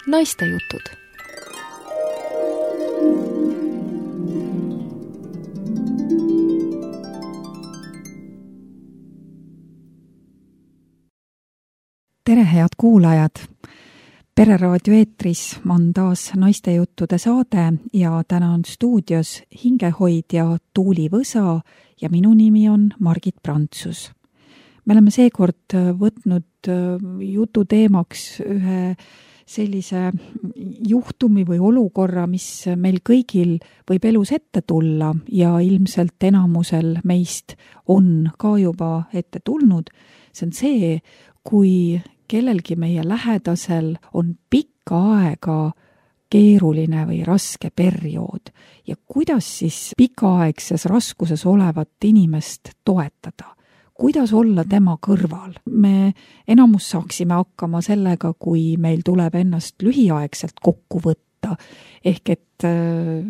Naistejutud. Tere, head kuulajad! Pereraadio eetris on taas Naistejuttude saade ja täna on stuudios hingehoidja Tuuli Võsa ja minu nimi on Margit Prantsus. Me oleme seekord võtnud jutu teemaks ühe sellise juhtumi või olukorra, mis meil kõigil võib elus ette tulla ja ilmselt enamusel meist on ka juba ette tulnud. See on see, kui kellelgi meie lähedasel on pikka aega keeruline või raske periood ja kuidas siis pikaaegses raskuses olevat inimest toetada. Kuidas olla tema kõrval? Me enamus saaksime hakkama sellega, kui meil tuleb ennast lühiaegselt kokku võtta, ehk et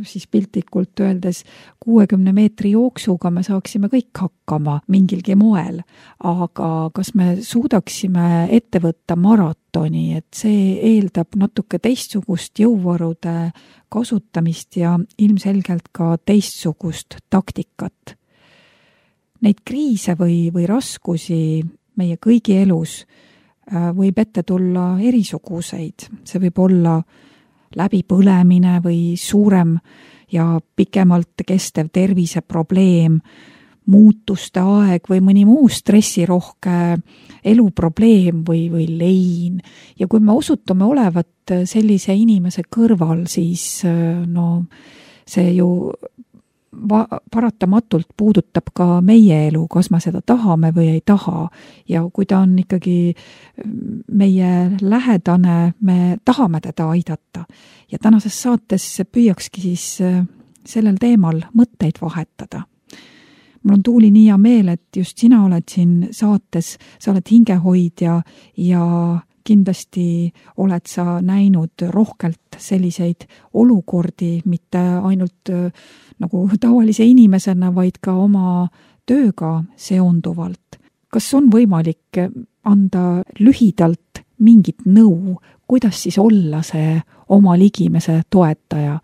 siis piltlikult öeldes 60 meetri jooksuga me saaksime kõik hakkama mingilgi moel, aga kas me suudaksime ette võtta maratoni, et see eeldab natuke teistsugust jõuvarude kasutamist ja ilmselgelt ka teistsugust taktikat. Neid kriise või raskusi meie kõigi elus võib ette tulla erisuguseid. See võib olla läbipõlemine või suurem ja pikemalt kestev terviseprobleem, muutuste aeg või mõni muu stressirohke eluprobleem või lein. Ja kui me osutume olevat sellise inimese kõrval, siis see ju paratamatult puudutab ka meie elu, kas me seda tahame või ei taha. Ja kui ta on ikkagi meie lähedane, me tahame teda aidata. Ja tänases saates püüakski siis sellel teemal mõtteid vahetada. Mul on Tuuli nii hea meel, et just sina oled siin saates, sa oled hingehoidja ja kindlasti oled sa näinud rohkelt selliseid olukordi, mitte ainult nagu tavalise inimesena, vaid ka oma tööga seonduvalt. Kas on võimalik anda lühidalt mingit nõu, kuidas siis olla see oma ligimese toetaja?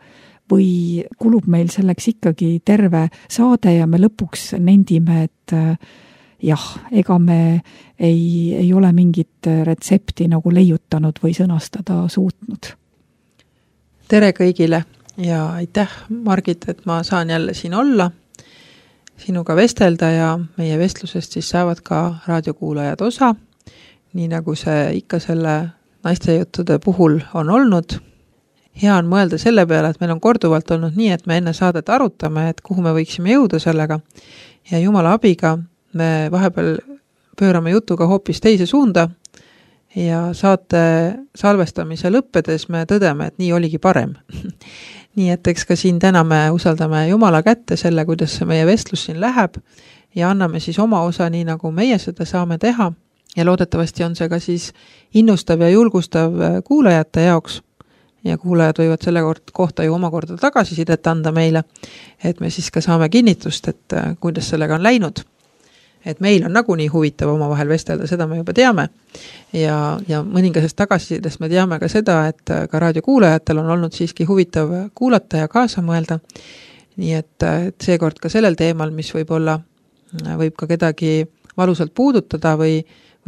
Või kulub meil selleks ikkagi terve saade ja me lõpuks nendime, et ega me ei ole mingit retsepti nagu leiutanud või sõnastada suutnud. Tere kõigile ja aitäh, Margit, et ma saan jälle siin olla, sinuga vestelda ja meie vestlusest siis saavad ka raadiokuulajad osa, nii nagu see ikka selle naistejuttude puhul on olnud. Hea on mõelda selle peale, et meil on korduvalt olnud nii, et me enne saadet arutame, et kuhu me võiksime jõuda sellega ja Jumala abiga me vahepeal pöörame jutuga hoopis teise suunda ja saate salvestamise lõppedes me tõdeme, et nii oligi parem. Nii et eks ka siin täna me usaldame Jumala kätte selle, kuidas see meie vestlus siin läheb ja anname siis oma osa nii, nagu meie seda saame teha ja loodetavasti on see ka siis innustav ja julgustav kuulajate jaoks ja kuulajad võivad selle kohta ju omakorda tagasisidet anda meile, et me siis ka saame kinnitust, et kuidas sellega on läinud. Et meil on nagunii huvitav omavahel vestelda, seda me juba teame ja mõningasest tagasisidest me teame ka seda, et ka raadiokuulajatel on olnud siiski huvitav kuulata ja kaasa mõelda. Nii et seekord ka sellel teemal, mis võib ka kedagi valusalt puudutada või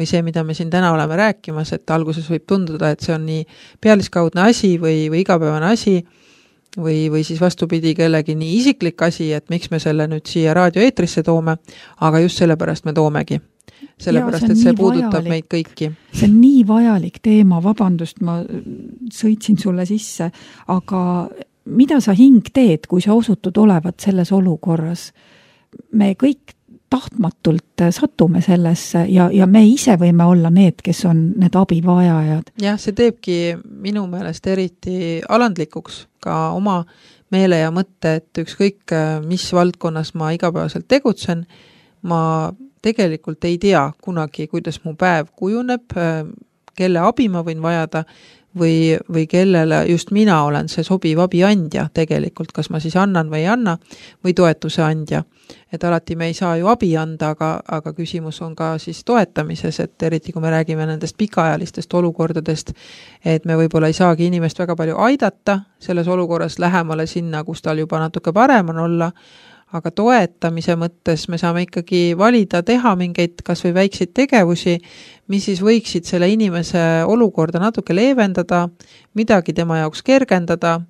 see, mida me siin täna oleme rääkimas, et alguses võib tunduda, et see on nii pealiskaudne asi või igapäevane asi või siis vastupidi kellegi nii isiklik asi, et miks me selle nüüd siia raadioeetrisse toome, aga just sellepärast me toomegi. Sellepärast, et see puudutab meid kõiki. See on nii vajalik teema, vabandust, ma sõitsin sulle sisse, aga mida sa hing teed, kui sa osutud olevat selles olukorras? Me kõik tahtmatult satume sellesse ja me ise võime olla need, kes on need abivajajad. Jah, see teebki minu meelest eriti alandlikuks ka oma meele ja mõtte, et ükskõik mis valdkonnas ma igapäevaselt tegutsen, ma tegelikult ei tea kunagi, kuidas mu päev kujuneb, kelle abi ma võin vajada või kellele just mina olen see sobiv abiandja tegelikult, kas ma siis annan või ei anna, või toetuse andja. Et alati me ei saa ju abi anda, aga küsimus on ka siis toetamises, et eriti kui me räägime nendest pikaajalistest olukordadest, et me võib-olla ei saagi inimest väga palju aidata selles olukorras lähemale sinna, kus tal juba natuke parem on olla, aga toetamise mõttes me saame ikkagi valida teha mingeid kas või väikseid tegevusi, mis siis võiksid selle inimese olukorda natuke leevendada, midagi tema jaoks kergendada,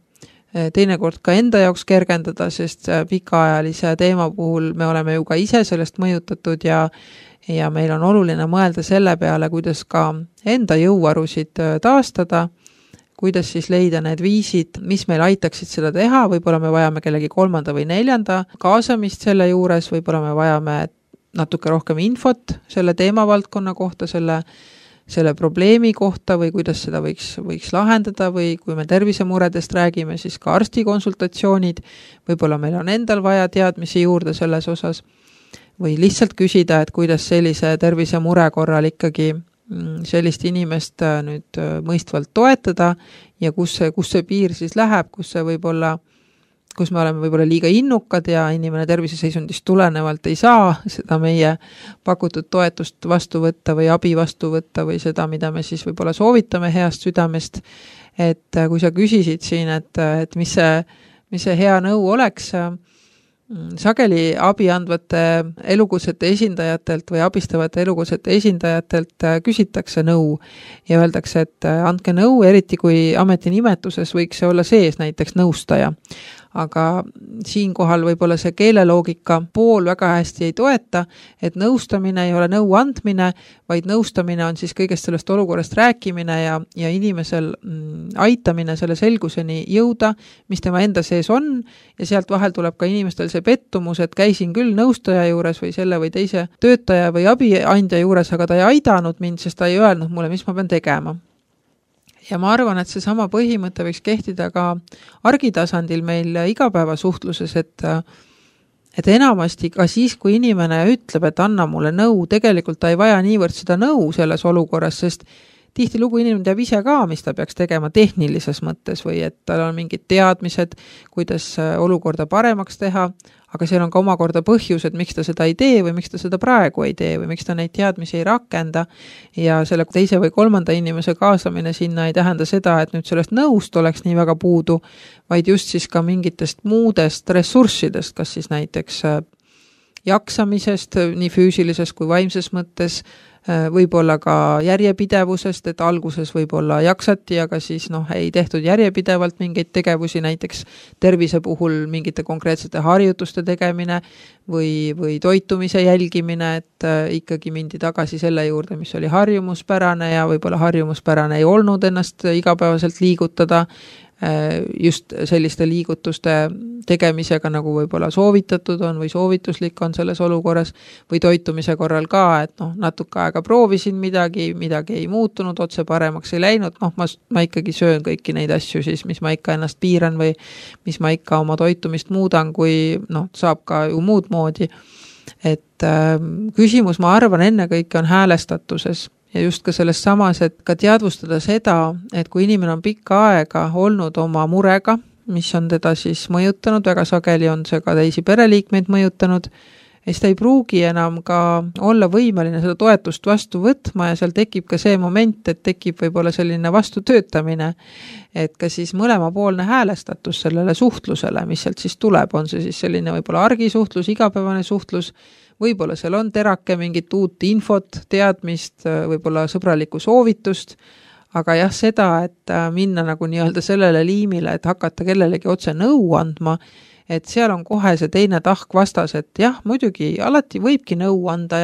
teinekord ka enda jaoks kergendada, sest pikaajalise teema puhul me oleme ju ka ise sellest mõjutatud ja meil on oluline mõelda selle peale, kuidas ka enda jõuvarusid taastada, kuidas siis leida need viisid, mis meil aitaksid seda teha, võib-olla me vajame kellegi 3. või 4. kaasamist selle juures, võib-olla me vajame natuke rohkem infot selle teemavaldkonna kohta, selle probleemi kohta või kuidas seda võiks lahendada või kui me tervisemuredest räägime, siis ka arstikonsultatsioonid, võib-olla meil on endal vaja teadmisi juurde selles osas või lihtsalt küsida, et kuidas sellise tervisemure korral ikkagi sellist inimest nüüd mõistvalt toetada ja kus see piir siis läheb, kus me oleme võib-olla liiga innukad ja inimene terviseseisundist tulenevalt ei saa seda meie pakutud toetust vastu võtta või abi vastu võtta või seda, mida me siis võib-olla soovitame heast südamest. Et kui sa küsisid siin, et mis see hea nõu oleks, sageli abi andvate elukutsete esindajatelt või abistavate elukutsete esindajatelt küsitakse nõu ja öeldakse, et andke nõu, eriti kui ametinimetuses võiks see olla sees näiteks nõustaja. Aga siinkohal võib-olla see keeleloogika pool väga hästi ei toeta, et nõustamine ei ole nõu andmine, vaid nõustamine on siis kõigest sellest olukorrast rääkimine ja inimesel aitamine selle selguseni jõuda, mis tema enda sees on ja sealt vahel tuleb ka inimestel see pettumus, et käisin küll nõustaja juures või selle või teise töötaja või abiandja juures, aga ta ei aidanud mind, sest ta ei öelnud mulle, mis ma pean tegema. Ja ma arvan, et see sama põhimõte võiks kehtida ka argitasandil meil igapäevasuhtluses, et enamasti ka siis, kui inimene ütleb, et anna mulle nõu, tegelikult ta ei vaja niivõrd seda nõu selles olukorras, sest tihtilugu inimene teab ise ka, mis ta peaks tegema tehnilises mõttes või et tal on mingid teadmised, kuidas olukorda paremaks teha, aga seal on ka omakorda põhjused, miks ta seda ei tee või miks ta seda praegu ei tee või miks ta neid teadmisi ei rakenda ja selle teise või 3. inimese kaasamine sinna ei tähenda seda, et nüüd sellest nõust oleks nii väga puudu, vaid just siis ka mingitest muudest ressurssidest, kas siis näiteks jaksamisest nii füüsilises kui vaimses mõttes, võib-olla ka järjepidevusest, et alguses võib-olla jaksati, aga siis ei tehtud järjepidevalt mingeid tegevusi, näiteks tervise puhul mingite konkreetsete harjutuste tegemine või toitumise jälgimine, et ikkagi mindi tagasi selle juurde, mis oli harjumuspärane ja võib-olla harjumuspärane ei olnud ennast igapäevaselt liigutada, just selliste liigutuste tegemisega, nagu võib-olla soovitatud on või soovituslik on selles olukorras või toitumise korral ka, et natuke aega proovisin midagi ei muutunud, otse paremaks ei läinud, ma ikkagi söön kõiki neid asju siis, mis ma ikka ennast piiran või mis ma ikka oma toitumist muudan, kui saab ka ju muud moodi. Et küsimus, ma arvan, ennekõike on häälestatuses. Ja just ka selles samas, et ka teadvustada seda, et kui inimene on pikka aega olnud oma murega, mis on teda siis mõjutanud, väga sageli on see ka teisi pereliikmeid mõjutanud, siis ta ei pruugi enam ka olla võimeline seda toetust vastu võtma ja seal tekib ka see moment, et tekib võib-olla selline vastutöötamine, et ka siis mõlemapoolne häälestatus sellele suhtlusele, mis sealt siis tuleb, on see siis selline võib-olla argisuhtlus, igapäevane suhtlus, võib-olla seal on terake mingit uut infot, teadmist, võib-olla sõbralikku soovitust, aga jah, seda, et minna nagu nii-öelda sellele liimile, et hakata kellelegi otse nõu andma, et seal on kohe see teine tahk vastas, et jah, muidugi alati võibki nõu anda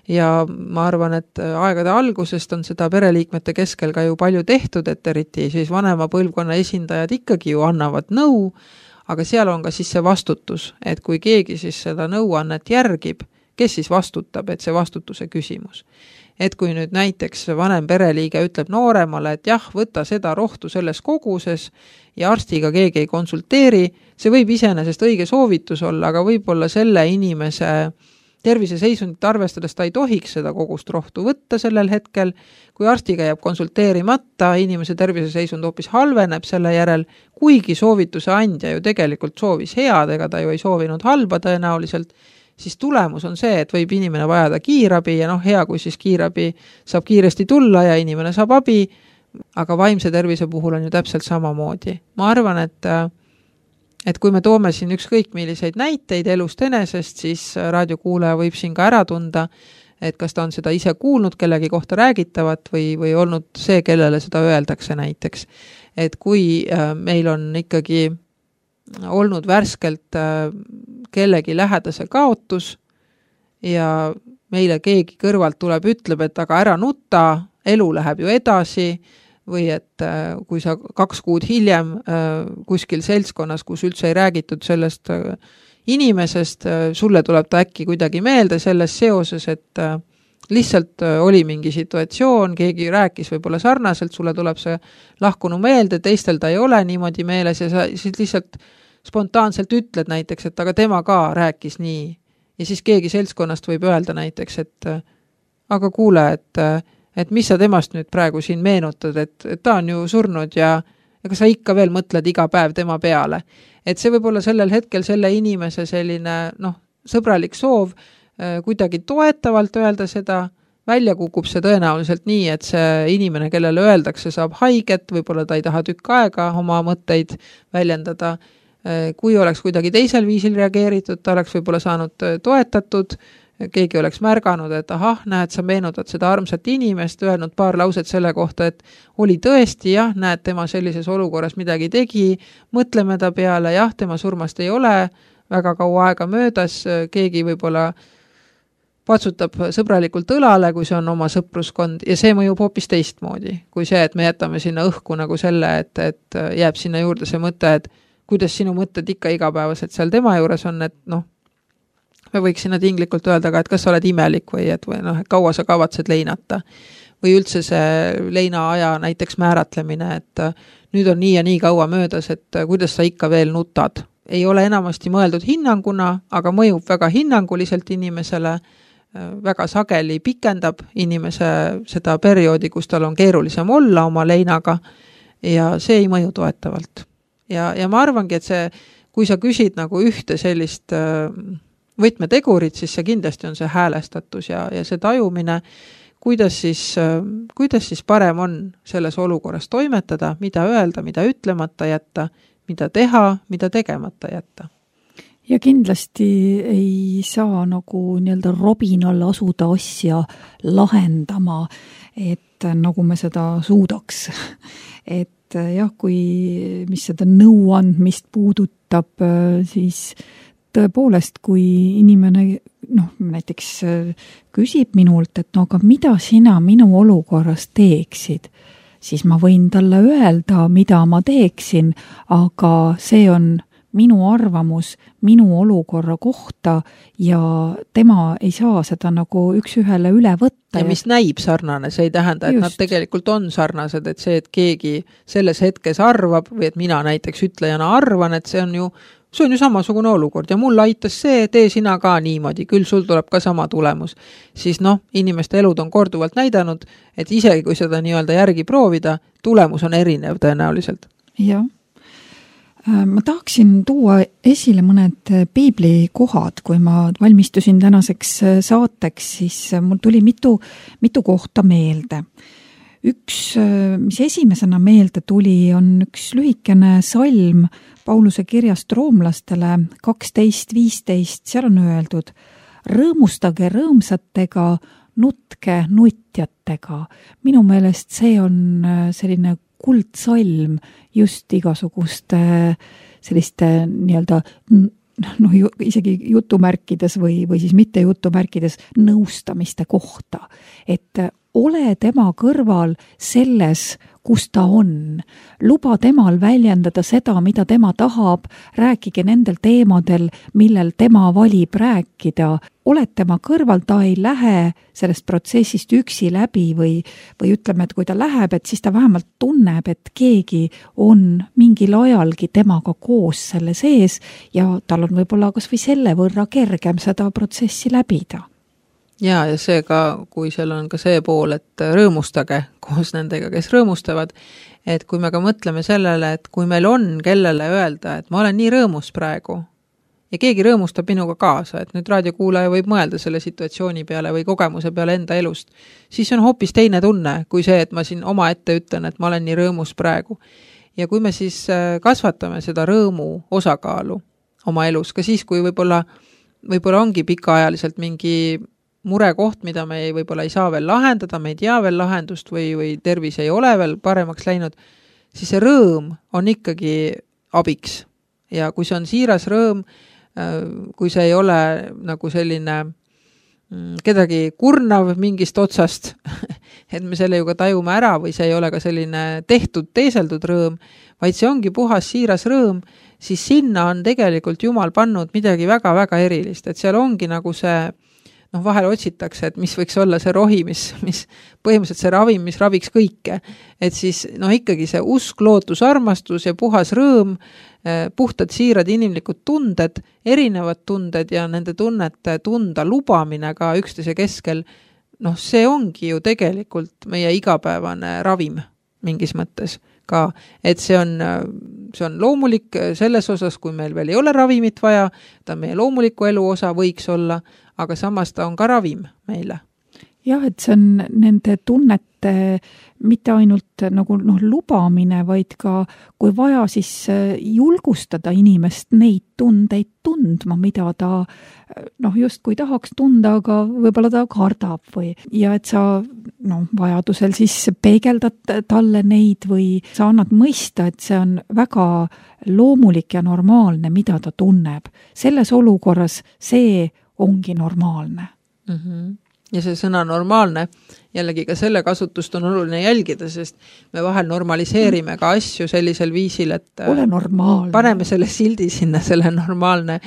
ja ma arvan, et aegade algusest on seda pereliikmete keskel ka ju palju tehtud, et eriti siis vanema põlvkonna esindajad ikkagi ju annavad nõu, aga seal on ka siis see vastutus, et kui keegi siis seda nõuannet järgib, kes siis vastutab, et see vastutuse küsimus. Et kui nüüd näiteks vanem pereliige ütleb nooremale, et jah, võta seda rohtu selles koguses ja arstiga keegi ei konsulteeri, see võib iseenesest õige soovitus olla, aga võib-olla selle inimese terviseseisundit arvestades ta ei tohiks seda kogust rohtu võtta sellel hetkel, kui arstiga jääb konsulteerimata, inimese terviseseisund hoopis halveneb selle järel, kuigi soovituse andja ju tegelikult soovis head, ega ta ju ei soovinud halba tõenäoliselt, siis tulemus on see, et võib inimene vajada kiirabi ja hea, kui siis kiirabi saab kiiresti tulla ja inimene saab abi, aga vaimse tervise puhul on ju täpselt samamoodi. Ma arvan, et kui me toome siin ükskõik milliseid näiteid elust enesest, siis raadiokuulaja võib siin ka ära tunda, et kas ta on seda ise kuulnud kellegi kohta räägitavat või olnud see, kellele seda öeldakse näiteks. Et kui meil on ikkagi olnud värskelt kellegi lähedase kaotus ja meile keegi kõrvalt tuleb, ütleb, et aga ära nuta, elu läheb ju edasi, või et kui sa 2 kuud hiljem kuskil seltskonnas, kus üldse ei räägitud sellest inimesest, sulle tuleb ta äkki kuidagi meelde selles seoses, et lihtsalt oli mingi situatsioon, keegi rääkis võib-olla sarnaselt, sulle tuleb see lahkunu meelde, teistel ta ei ole niimoodi meeles ja sa siis lihtsalt spontaanselt ütled näiteks, et aga tema ka rääkis nii. Ja siis keegi seltskonnast võib öelda näiteks, et aga kuule, et mis sa temast nüüd praegu siin meenutad, et ta on ju surnud ja ega sa ikka veel mõtled iga päev tema peale. Et see võib olla sellel hetkel selle inimese selline sõbralik soov kuidagi toetavalt öelda seda, välja kukub see tõenäoliselt nii, et see inimene, kellele öeldakse, saab haiget, võib-olla ta ei taha tükk aega oma mõtteid väljendada. Kui oleks kuidagi teisel viisil reageeritud, ta oleks võib-olla saanud toetatud, keegi oleks märganud, et ahah, näed, sa meenutad seda armsat inimest, öelnud paar lauset selle kohta, et oli tõesti, jah, näed, tema sellises olukorras midagi tegi, mõtleme ta peale, jah, tema surmast ei ole väga kaua aega möödas, keegi võib-olla patsutab sõbralikult õlale, kui see on oma sõpruskond ja see mõjub hoopis teistmoodi, kui see, et me jätame sinna õhku nagu selle, et jääb sinna juurde see mõte, et kuidas sinu mõtted ikka igapäevaselt seal tema juures on, et me võiks sinna tinglikult öelda ka, et kas sa oled imelik või et kaua sa kavatsed leinata. Või üldse see leina aja näiteks määratlemine, et nüüd on nii ja nii kaua möödas, et kuidas sa ikka veel nutad. Ei ole enamasti mõeldud hinnanguna, aga mõjub väga hinnanguliselt inimesele, väga sageli pikendab inimese seda perioodi, kus tal on keerulisem olla oma leinaga ja see ei mõju toetavalt. Ja ma arvangi, et see, kui sa küsid nagu ühte sellist võtmetegurit, siis see kindlasti on see häälestatus ja see tajumine, kuidas siis parem on selles olukorras toimetada, mida öelda, mida ütlemata jätta, mida teha, mida tegemata jätta. Ja kindlasti ei saa nagu nii-öelda robinal asuda asja lahendama, et nagu me seda suudaks. Et jah, mis seda nõuandmist puudutab, siis tõepoolest, kui inimene näiteks küsib minult, et aga mida sina minu olukorras teeksid, siis ma võin talle öelda, mida ma teeksin, aga see on minu arvamus minu olukorra kohta ja tema ei saa seda nagu üks-ühele üle võtta. Ja mis näib sarnane, see ei tähenda, et nad tegelikult on sarnased, et see, et keegi selles hetkes arvab või et mina näiteks ütlejana arvan, et see on ju samasugune olukord ja mul aitas see, tee sina ka niimoodi, küll sul tuleb ka sama tulemus. Siis inimeste elud on korduvalt näidanud, et isegi kui seda nii-öelda järgi proovida, tulemus on erinev tõenäoliselt. Jah. Ma tahaksin tuua esile mõned piiblikohad, kui ma valmistusin tänaseks saateks, siis mul tuli mitu kohta meelde. Üks, mis esimesena meelde tuli, on üks lühikene salm Pauluse kirjast roomlastele 12:15, seal on öeldud: rõõmustage rõõmsatega, nutke nutjatega. Minu meelest see on selline kuldsalm just igasuguste selliste nii-öelda isegi jutumärkides või siis mitte jutumärkides nõustamiste kohta. Et ole tema kõrval selles, kus ta on. Luba temal väljendada seda, mida tema tahab, rääkige nendel teemadel, millel tema valib rääkida. Oled tema kõrval, ta ei lähe sellest protsessist üksi läbi või ütleme, et kui ta läheb, et siis ta vähemalt tunneb, et keegi on mingil ajalgi temaga koos selle sees ja tal on võib-olla kas või selle võrra kergem seda protsessi läbida. Ja see ka, kui seal on ka see pool, et rõõmustage koos nendega, kes rõõmustavad, et kui me ka mõtleme sellele, et kui meil on kellele öelda, et ma olen nii rõõmus praegu ja keegi rõõmustab minuga kaasa, et nüüd raadiokuulaja võib mõelda selle situatsiooni peale või kogemuse peale enda elust, siis on hoopis teine tunne kui see, et ma siin oma ette ütlen, et ma olen nii rõõmus praegu. Ja kui me siis kasvatame seda rõõmu osakaalu oma elus, ka siis, kui võib-olla ongi pikaajaliselt mingi murekoht, mida me võib-olla ei saa veel lahendada, me ei tea veel lahendust või tervis ei ole veel paremaks läinud, siis see rõõm on ikkagi abiks. Ja kui see on siiras rõõm, kui see ei ole nagu selline kedagi kurnav mingist otsast, et me selle ju ka tajume ära või see ei ole ka selline tehtud, teeseldud rõõm, vaid see ongi puhas siiras rõõm, siis sinna on tegelikult Jumal pannud midagi väga-väga erilist, et seal ongi nagu see vahel otsitakse, et mis võiks olla see rohi, mis põhimõtteliselt see ravim, mis raviks kõike. Et siis ikkagi see usk, lootus, armastus ja puhas rõõm, puhtad siirad inimlikud tunded, erinevad tunded ja nende tunnete tunda lubamine ka üksteise keskel, see ongi ju tegelikult meie igapäevane ravim mingis mõttes ka, et see on loomulik selles osas, kui meil veel ei ole ravimit vaja, ta meie loomuliku elu osa võiks olla, aga samas ta on ka ravim meile. Jah, et see on nende tunnete mitte ainult nagu lubamine, vaid ka kui vaja, siis julgustada inimest neid tundeid tundma, mida ta justkui tahaks tunda, aga võib-olla ta kardab ja et sa vajadusel siis peegeldad talle neid või sa annad mõista, et see on väga loomulik ja normaalne, mida ta tunneb. Selles olukorras see ongi normaalne. Ja see sõna normaalne, jällegi ka selle kasutust on oluline jälgida, sest me vahel normaliseerime ka asju sellisel viisil, et ole normaalne. Paneme selle sildi sinna, selle normaalne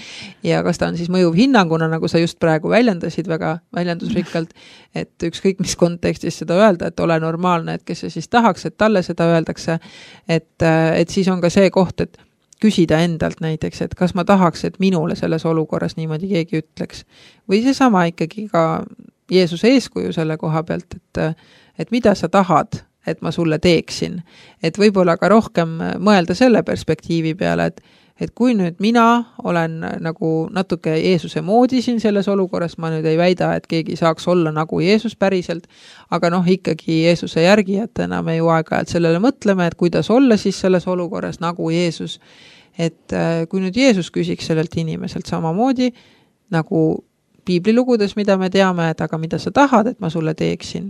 ja kas ta on siis mõjuv hinnanguna, nagu sa just praegu väljendasid väga väljendusrikkalt, et ükskõik mis kontekstis seda öelda, et ole normaalne, et kes see siis tahaks, et talle seda öeldakse, et siis on ka see koht, et küsida endalt näiteks, et kas ma tahaks, et minule selles olukorras niimoodi keegi ütleks. Või see sama ikkagi ka Jeesuse eeskuju selle koha pealt, et mida sa tahad, et ma sulle teeksin. Et võib-olla ka rohkem mõelda selle perspektiivi peale, et kui nüüd mina olen nagu natuke Jeesuse moodi siin selles olukorras, ma nüüd ei väida, et keegi saaks olla nagu Jeesus päriselt, aga ikkagi Jeesuse järgijatena me ju aeg-ajalt sellele mõtleme, et kuidas olla siis selles olukorras nagu Jeesus. Et kui nüüd Jeesus küsiks sellelt inimeselt samamoodi, nagu piiblilugudes, mida me teame, et aga mida sa tahad, et ma sulle teeksin.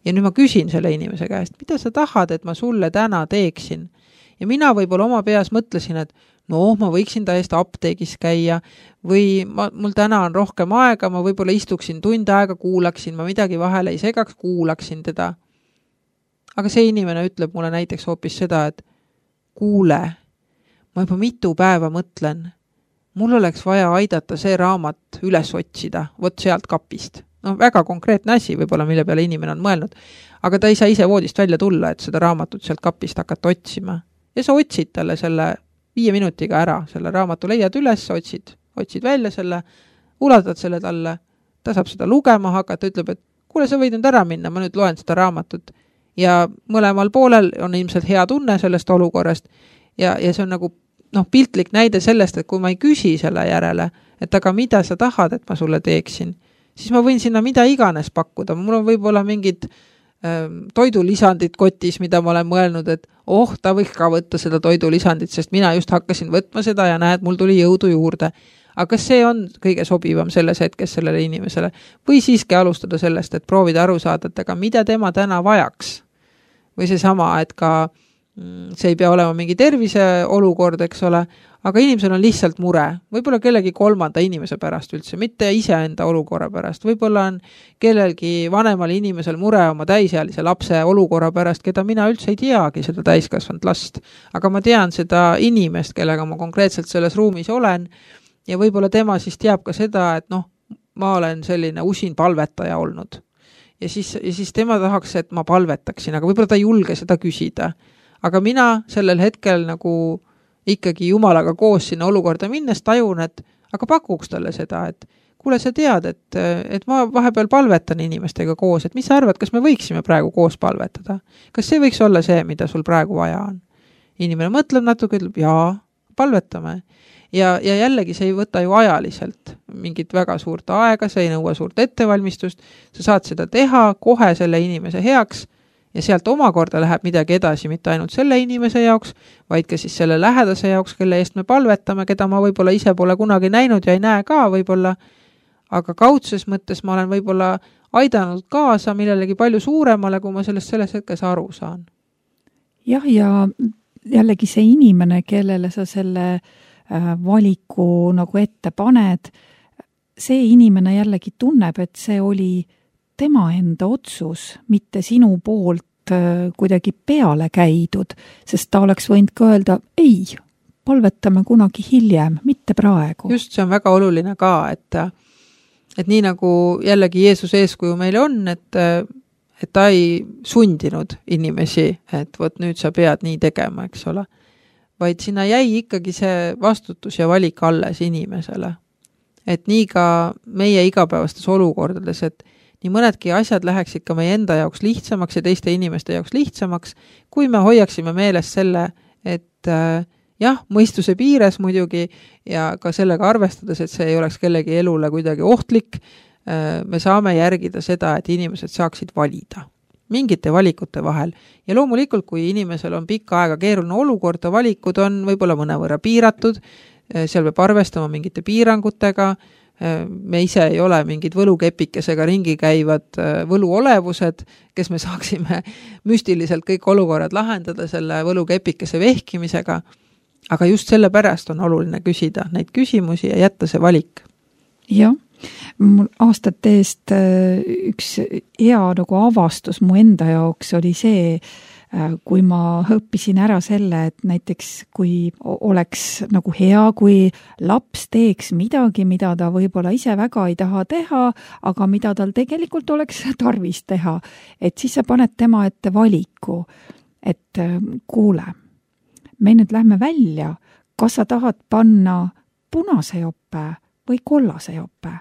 Ja nüüd ma küsin selle inimese käest, mida sa tahad, et ma sulle täna teeksin. Ja mina võib-olla oma peas mõtlesin, et ma võiksin täiesti apteegis käia või mul täna on rohkem aega, ma võib-olla istuksin tund aega, kuulaksin, ma midagi vahele ei segaks, kuulaksin teda. Aga see inimene ütleb mulle näiteks hoopis seda, et kuule, ma juba mitu päeva mõtlen, mul oleks vaja aidata see raamat üles otsida, vot sealt kapist. Väga konkreetne asi võib-olla, mille peale inimene on mõelnud, aga ta ei saa ise voodist välja tulla, et seda raamatut sealt kapist hakata otsima. Ja sa otsid talle selle 5 minutiga ära, selle raamatu leiad üles, otsid välja selle, ulatad selle talle, ta saab seda lugema hakata, ütleb, et kuule, sa võid nüüd ära minna, ma nüüd loen seda raamatut. Ja mõlemal poolel on ilmselt hea tunne sellest olukorrast ja see on nagu piltlik näide sellest, et kui ma ei küsi selle järele, et aga mida sa tahad, et ma sulle teeksin, siis ma võin sinna mida iganes pakkuda. Mul on võib-olla mingid toidulisandid kotis, mida ma olen mõelnud, et ta võiks ka võtta seda toidulisandit, sest mina just hakkasin võtma seda ja näed, mul tuli jõudu juurde. Aga kas see on kõige sobivam selles hetkes sellele inimesele? Või siiski alustada sellest, et proovida aru saada, et aga mida tema täna vajaks? Või see sama, et ka see ei pea olema mingi tervise olukord, eks ole, aga inimesel on lihtsalt mure, võib-olla kellegi kolmanda inimese pärast üldse, mitte iseenda olukorra pärast, võib-olla on kellelgi vanemal inimesel mure oma täisealise lapse olukorra pärast, keda mina üldse ei teagi, seda täiskasvanud last, aga ma tean seda inimest, kellega ma konkreetselt selles ruumis olen ja võib-olla tema siis teab ka seda, et ma olen selline usin palvetaja olnud. Ja siis tema tahaks, et ma palvetaksin, aga võib-olla ta ei julge seda küsida. Aga mina sellel hetkel nagu ikkagi Jumalaga koos sinna olukorda minnes tajun, et aga pakuks talle seda, et kuule, sa tead, et ma vahepeal palvetan inimestega koos, et mis sa arvad, kas me võiksime praegu koos palvetada? Kas see võiks olla see, mida sul praegu vaja on? Inimene mõtleb natuke, ütleb, jaa, palvetame. Ja jällegi see ei võta ju ajaliselt mingit väga suurt aega, see ei nõua suurt ettevalmistust, sa saad seda teha kohe selle inimese heaks ja sealt omakorda läheb midagi edasi, mitte ainult selle inimese jaoks, vaid ka siis selle lähedase jaoks, kelle eest me palvetame, keda ma võib-olla ise pole kunagi näinud ja ei näe ka võib-olla, aga kaudses mõttes ma olen võib-olla aidanud kaasa millelegi palju suuremale, kui ma selles hetkes aru saan. Jah, ja jällegi see inimene, kellele sa selle valiku nagu ette paned, see inimene jällegi tunneb, et see oli tema enda otsus, mitte sinu poolt kuidagi peale käidud, sest ta oleks võinud ka öelda, ei, palvetame kunagi hiljem, mitte praegu. Just, see on väga oluline ka, et nii nagu jällegi Jeesuse eeskuju meile on, et ta ei sundinud inimesi, et võt nüüd sa pead nii tegema, eks ole. Vaid sinna jäi ikkagi see vastutus ja valik alles inimesele. Et nii ka meie igapäevastes olukordades, et nii mõnedki asjad läheksid ka meie enda jaoks lihtsamaks ja teiste inimeste jaoks lihtsamaks, kui me hoiaksime meeles selle, et jah, mõistuse piires muidugi ja ka sellega arvestades, et see ei oleks kellegi elule kuidagi ohtlik, me saame järgida seda, et inimesed saaksid valida mingite valikute vahel. Ja loomulikult, kui inimesel on pikka aega keeruline olukord, valikud on võib-olla mõnevõrra piiratud, seal peab arvestama mingite piirangutega, me ise ei ole mingid võlukepikesega ringi käivad võluolevused, kes me saaksime müstiliselt kõik olukorrad lahendada selle võlukepikese vehkimisega, aga just selle pärast on oluline küsida neid küsimusi ja jätta see valik. Jah. Mul aastate eest üks hea nagu avastus mu enda jaoks oli see, kui ma õppisin ära selle, et näiteks kui oleks nagu hea, kui laps teeks midagi, mida ta võib-olla ise väga ei taha teha, aga mida tal tegelikult oleks tarvis teha, et siis sa paned tema ette valiku, et kuule, me nüüd lähme välja, kas sa tahad panna punase jope või kollase jope?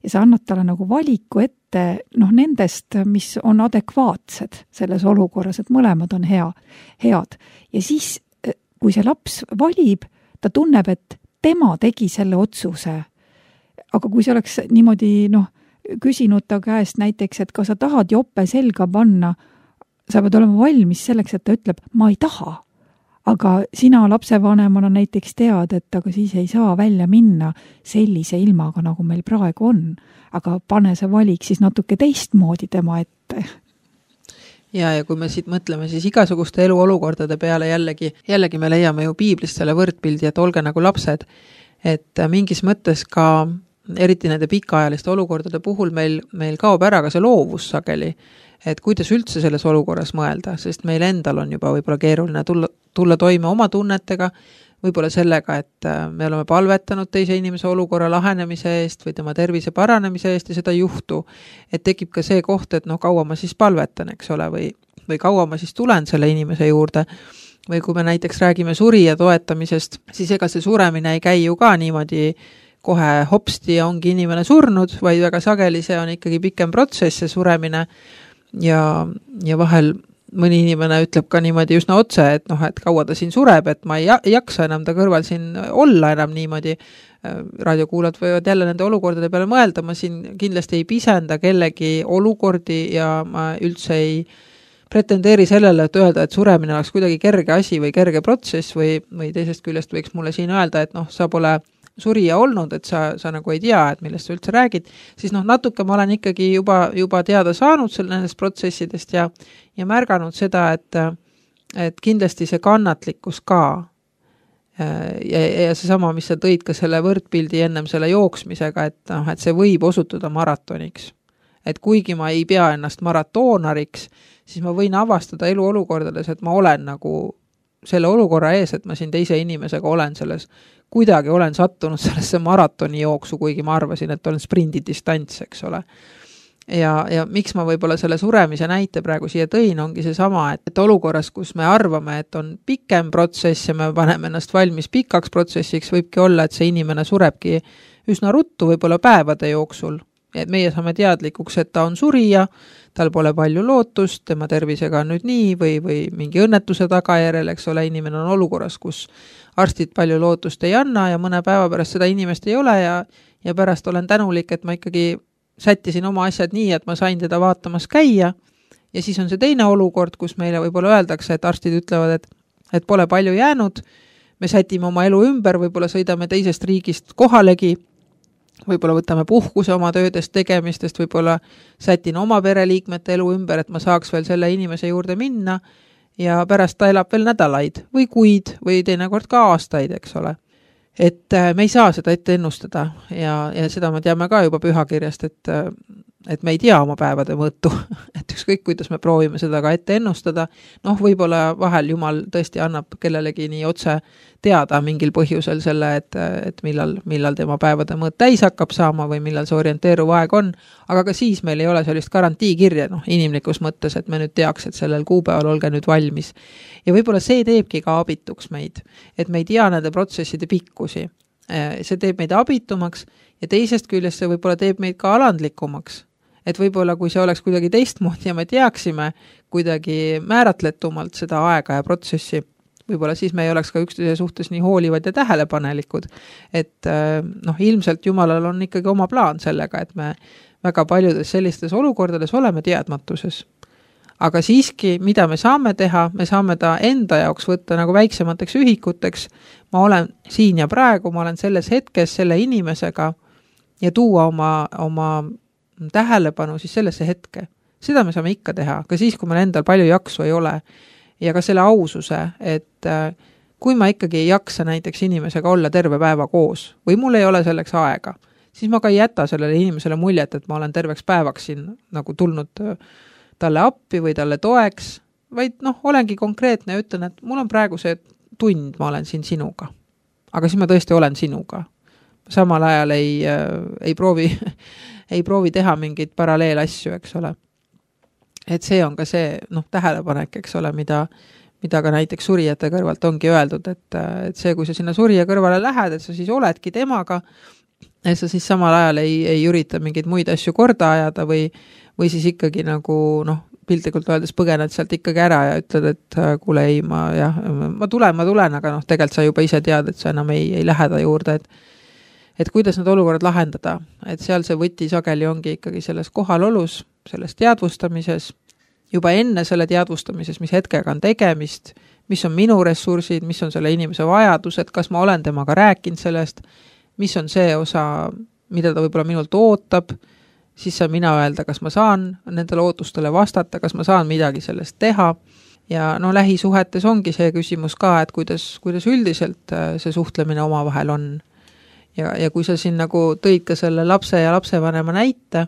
Ja sa annad talle nagu valiku ette nendest, mis on adekvaatsed selles olukorras, et mõlemad on head. Ja siis, kui see laps valib, ta tunneb, et tema tegi selle otsuse. Aga kui see oleks niimoodi küsinud ta käest näiteks, et kas sa tahad jope selga panna, sa pead olema valmis selleks, et ta ütleb, ma ei taha. Aga sina lapsevanemana näiteks tead, et aga siis ei saa välja minna sellise ilmaga, nagu meil praegu on. Aga pane see valik siis natuke teistmoodi tema ette. Ja kui me siit mõtleme siis igasuguste eluolukordade peale jällegi me leiame ju piiblist selle võrdpildi, et olge nagu lapsed, et mingis mõttes ka eriti nende pikaajaliste olukordade puhul meil kaob ära ka see loovus sageli, et kuidas üldse selles olukorras mõelda, sest meil endal on juba võib-olla keeruline tulla toime oma tunnetega, võib-olla sellega, et me oleme palvetanud teise inimese olukorra lahenemise eest või tema tervise paranemise eest ja seda ei juhtu. Et tekib ka see koht, et kaua ma siis palvetan, eks ole, või kaua ma siis tulen selle inimese juurde. Või kui me näiteks räägime surija toetamisest, siis ega see suremine ei käi ju ka niimoodi kohe hopsti ja ongi inimene surnud, vaid väga sageli see on ikkagi pikem protsess, see suremine. Ja vahel mõni inimene ütleb ka niimoodi üsna otse, et kaua ta siin sureb, et ma ei jaksa enam ta kõrval siin olla enam niimoodi. Raadiokuulad võivad jälle nende olukordade peale mõelda, ma siin kindlasti ei pisenda kellegi olukordi ja ma üldse ei pretendeeri sellele, et öelda, et suremine oleks kuidagi kerge asi või kerge protsess või teisest küljest võiks mulle siin öelda, et sa pole surija olnud, et sa nagu ei tea, et millest sa üldse räägid, siis natuke ma olen ikkagi juba teada saanud nendest protsessidest ja märganud seda, et kindlasti see kannatlikkus ka, Ja seesama, mis sa tõid ka selle võrdpildi ennem selle jooksmisega, et see võib osutuda maratoniks. Et kuigi ma ei pea ennast maratoonariks, siis ma võin avastada eluolukordades, et ma olen nagu selle olukorra ees, et ma siin teise inimesega olen selles, kuidagi olen sattunud sellesse maratoni jooksu, kuigi ma arvasin, et olen sprindidistants, eks ole. Ja miks ma võib-olla selle suremise näite praegu siia tõin, ongi seesama, et olukorras, kus me arvame, et on pikem protsess ja me paneme ennast valmis pikaks protsessiks, võibki olla, et see inimene surebki üsna ruttu, võib-olla päevade jooksul. Et meie saame teadlikuks, et ta on surija, tal pole palju lootust, tema tervisega on nüüd nii või mingi õnnetuse tagajärjel, eks ole, inimene on olukorras, kus arstid palju lootust ei anna ja mõne päeva pärast seda inimest ei ole ja pärast olen tänulik, et ma ikkagi sättisin oma asjad nii, et ma sain teda vaatamas käia ja siis on see teine olukord, kus meile võib-olla öeldakse, et arstid ütlevad, et pole palju jäänud, me sätime oma elu ümber, võib-olla sõidame teisest riigist kohalegi, võib-olla võtame puhkuse oma töödest tegemistest, võib-olla sätin oma pereliikmete elu ümber, et ma saaks veel selle inimese juurde minna ja pärast ta elab veel nädalaid või kuid või teinekord ka aastaid, eks ole. Et me ei saa seda ette ennustada ja seda me teame ka juba pühakirjast, et me ei tea oma päevade mõõtu, et ükskõik, kuidas me proovime seda ka ette ennustada, võib-olla vahel Jumal tõesti annab kellelegi nii otse teada mingil põhjusel selle, et millal tema päevade mõõt täis hakkab saama või millal see orienteeruv aeg on, aga ka siis meil ei ole sellist garantiikirja, inimlikus mõttes, et me nüüd teaks, et sellel kuupäeval olge nüüd valmis. Ja võib-olla see teebki ka abituks meid, et me ei tea nende protsesside pikkusi. See teeb meid abitumaks ja teisest küljest see võib-olla teeb meid ka alandlikumaks. Et võib-olla kui see oleks kuidagi teistmoodi ja me teaksime kuidagi määratletumalt seda aega ja protsessi, võib-olla siis me ei oleks ka üksteise suhtes nii hoolivad ja tähelepanelikud. Et ilmselt Jumalal on ikkagi oma plaan sellega, et me väga paljudes sellistes olukordades oleme teadmatuses. Aga siiski, mida me saame teha, me saame ta enda jaoks võtta nagu väiksemateks ühikuteks. Ma olen siin ja praegu, ma olen selles hetkes selle inimesega ja tuua oma tähelepanu siis sellesse hetke. Seda me saame ikka teha, ka siis, kui meil endal palju jaksu ei ole. Ja ka selle aususe, et kui ma ikkagi ei jaksa näiteks inimesega olla terve päeva koos või mul ei ole selleks aega, siis ma ka ei jäta sellele inimesele muljet, et ma olen terveks päevaks siin nagu tulnud talle appi või talle toeks, vaid olengi konkreetne ja ütlen, et mul on praegu see tund, ma olen siin sinuga. Aga siis ma tõesti olen sinuga. Samal ajal ei proovi teha mingeid paralleelasju, eks ole. Et see on ka see tähelepanek, eks ole, mida ka näiteks surijate kõrvalt ongi öeldud, et see, kui sa sinna surija kõrvale lähed, et sa siis oledki temaga, et sa siis samal ajal ei ürita mingeid muid asju korda ajada või siis ikkagi nagu piltlikult öeldes põgened sealt ikkagi ära ja ütled, et kuule ei, ma tulen, aga tegelikult sa juba ise tead, et sa enam ei lähe ta juurde, et kuidas need olukorrad lahendada, et seal see võti sageli ongi ikkagi selles kohalolus, selles teadvustamises, juba enne selle teadvustamises, mis hetkega on tegemist, mis on minu ressursid, mis on selle inimese vajadused, kas ma olen temaga rääkinud sellest, mis on see osa, mida ta võib-olla minult ootab, siis saan mina öelda, kas ma saan nendele ootustele vastata, kas ma saan midagi sellest teha. Ja lähisuhetes ongi see küsimus ka, et kuidas üldiselt see suhtlemine omavahel on. Ja kui sa siin nagu tõid ka selle lapse ja lapsevanema näite,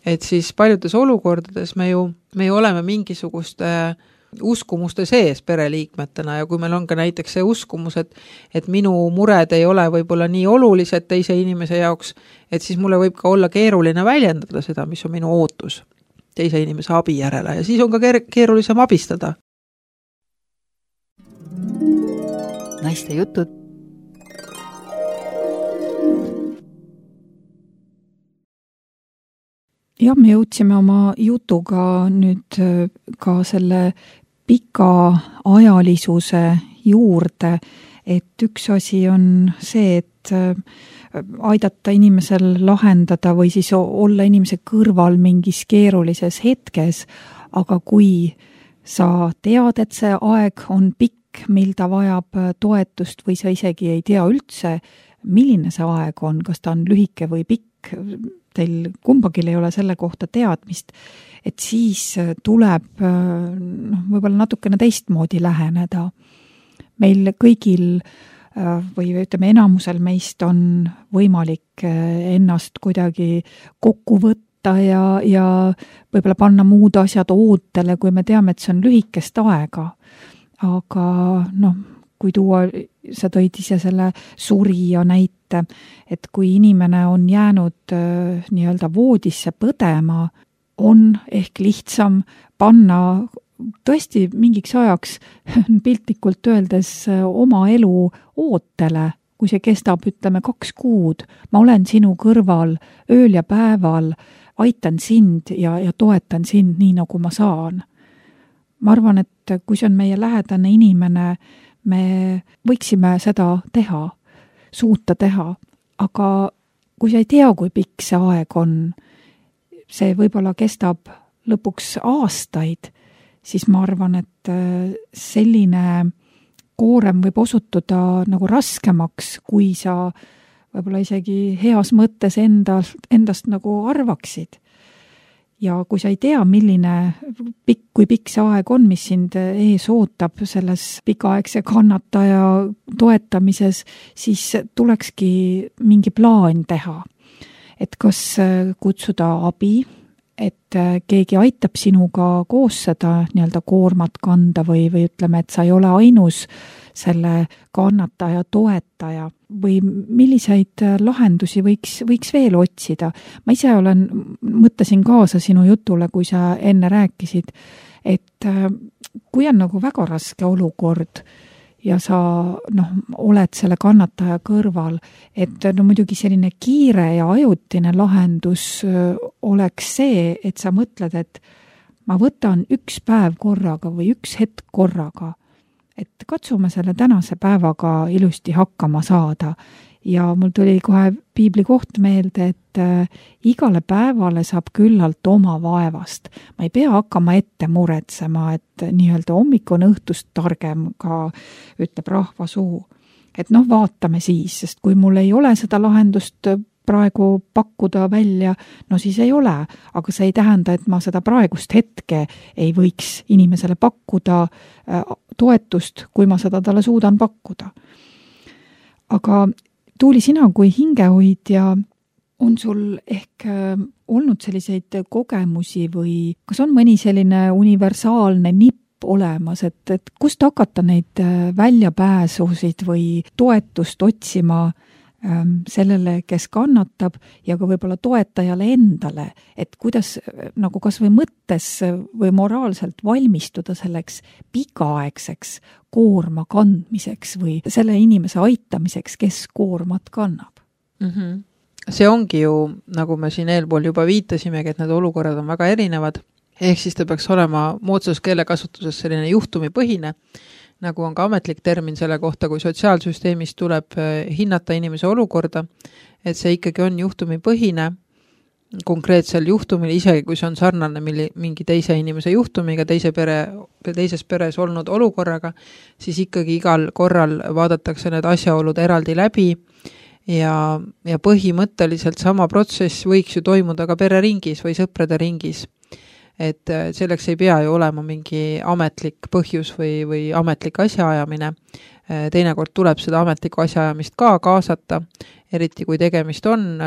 et siis paljudes olukordades me ju oleme mingisuguste uskumuste sees pereliikmetena ja kui meil on ka näiteks see uskumus, et minu mured ei ole võib-olla nii olulised teise inimese jaoks, et siis mulle võib ka olla keeruline väljendada seda, mis on minu ootus teise inimese abi järele ja siis on ka keerulisem abistada. Naiste jutud. Ja me jõudsime oma jutuga nüüd ka selle pikaajalisuse juurde, et üks asi on see, et aidata inimesel lahendada või siis olla inimese kõrval mingis keerulises hetkes, aga kui sa tead, et see aeg on pikk, mil ta vajab toetust või sa isegi ei tea üldse, milline see aeg on, kas ta on lühike või pikk, teil kumbagil ei ole selle kohta teadmist, et siis tuleb võib-olla natukene teistmoodi läheneda. Meil kõigil või ütleme, enamusel meist on võimalik ennast kuidagi kokku võtta ja võib-olla panna muud asjad ootele, kui me teame, et see on lühikest aega. Aga kui tuua, sa tõid ise selle surija näite, et kui inimene on jäänud nii-öelda voodisse põdema, on ehk lihtsam panna tõesti mingiks ajaks piltlikult öeldes oma elu ootele, kui see kestab, ütleme, 2 kuud. Ma olen sinu kõrval ööl ja päeval, aitan sind ja toetan sind nii, nagu ma saan. Ma arvan, et kui see on meie lähedane inimene, me võiksime seda teha, suuta teha, aga kui sa ei tea, kui pikk see aeg on, see võib-olla kestab lõpuks aastaid, siis ma arvan, et selline koorem võib osutuda nagu raskemaks, kui sa võib-olla isegi heas mõttes endast nagu arvaksid. Ja kui sa ei tea, kui pikk see aeg on, mis sind ees ootab selles pikaaegse kannataja toetamises, siis tulekski mingi plaan teha. Et kas kutsuda abi, et keegi aitab sinuga koos seda nii-öelda koormat kanda või ütleme, et sa ei ole ainus selle kannataja toetaja või milliseid lahendusi võiks veel otsida. Ma ise mõtlesin kaasa sinu jutule, kui sa enne rääkisid, et kui on nagu väga raske olukord ja sa oled selle kannataja kõrval, et muidugi selline kiire ja ajutine lahendus oleks see, et sa mõtled, et ma võtan 1 päev korraga või 1 hetk korraga, et katsume selle tänase päevaga ilusti hakkama saada. Ja mul tuli kohe piibli koht meelde, et igale päevale saab küllalt oma vaevast. Ma ei pea hakkama ette muretsema, et nii-öelda hommik on õhtust targem, ka ütleb rahva suu. Et vaatame siis, sest kui mul ei ole seda lahendust praegu pakkuda välja, siis ei ole, aga see ei tähenda, et ma seda praegust hetke ei võiks inimesele pakkuda toetust, kui ma seda talle suudan pakkuda. Aga Tuuli, sina kui hingehoidja, on sul ehk olnud selliseid kogemusi või kas on mõni selline universaalne nipp olemas, et kust hakata neid väljapääsusid või toetust otsima sellele, kes kannatab ja ka võib-olla toetajale endale, et kuidas nagu kas või mõttes või moraalselt valmistuda selleks pikaaegseks koorma kandmiseks või selle inimese aitamiseks, kes koormat kannab. See ongi ju, nagu me siin eelpool juba viitasimegi, et need olukorrad on väga erinevad, ehk siis ta peaks olema moodsas keelekasutuses selline juhtumipõhine, nagu on ka ametlik termin selle kohta, kui sotsiaalsüsteemis tuleb hinnata inimese olukorda, et see ikkagi on juhtumipõhine konkreetsel juhtumil, isegi kui see on sarnane mingi teise inimese juhtumiga, teises peres olnud olukorraga, siis ikkagi igal korral vaadatakse need asjaolud eraldi läbi ja põhimõtteliselt sama protsess võiks ju toimuda ka pereringis või sõprade ringis. Et selleks ei pea ju olema mingi ametlik põhjus või ametlik asjaajamine. Teinekord tuleb seda ametlikku asjaajamist ka kaasata, eriti kui tegemist on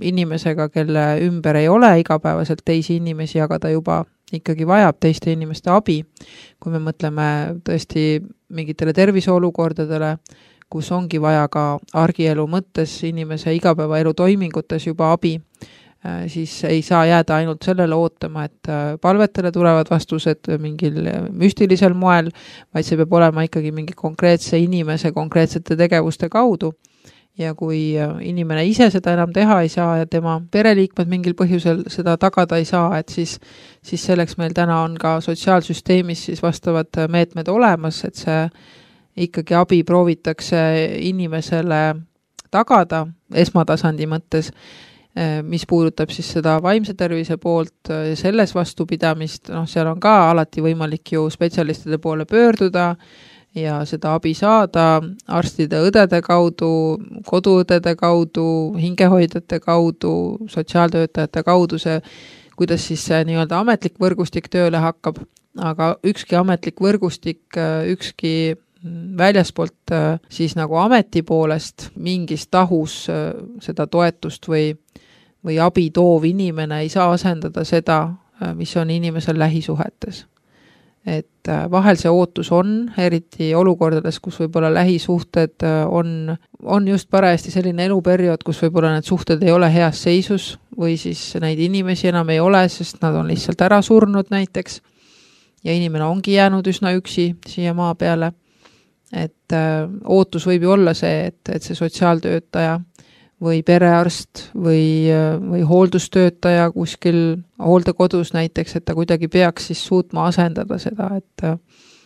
inimesega, kelle ümber ei ole igapäevaselt teisi inimesi, aga ta juba ikkagi vajab teiste inimeste abi. Kui me mõtleme tõesti mingitele terviseolukordadele, kus ongi vaja ka argielu mõttes inimese igapäevaelu toimingutes juba abi, siis ei saa jääda ainult sellele ootama, et palvetele tulevad vastused mingil müstilisel moel, vaid see peab olema ikkagi mingi konkreetse inimese konkreetsete tegevuste kaudu. Ja kui inimene ise seda enam teha ei saa ja tema pereliikmed mingil põhjusel seda tagada ei saa, et siis selleks meil täna on ka sotsiaalsüsteemis siis vastavad meetmed olemas, et see ikkagi abi proovitakse inimesele tagada esmatasandi mõttes, mis puudutab siis seda vaimse tervise poolt ja selles vastupidamist, seal on ka alati võimalik ju spetsialistide poole pöörduda ja seda abi saada arstide, õdede kaudu, koduõdede kaudu, hingehoidjate kaudu, sotsiaaltöötajate kaudu, kuidas siis see nii-öelda ametlik võrgustik tööle hakkab, aga ükski ametlik võrgustik, ükski väljaspoolt siis nagu ameti poolest mingis tahus seda toetust või abi toov inimene ei saa asendada seda, mis on inimesel lähisuhetes. Et vahel see ootus on, eriti olukordades, kus võib-olla lähisuhted on just parajasti selline eluperiood, kus võib-olla need suhted ei ole heas seisus või siis neid inimesi enam ei ole, sest nad on lihtsalt ära surnud näiteks ja inimene ongi jäänud üsna üksi siia maa peale. Et ootus võib ju olla see, et see sotsiaaltöötaja või perearst või hooldustöötaja kuskil hooldekodus näiteks, et ta kuidagi peaks siis suutma asendada seda, et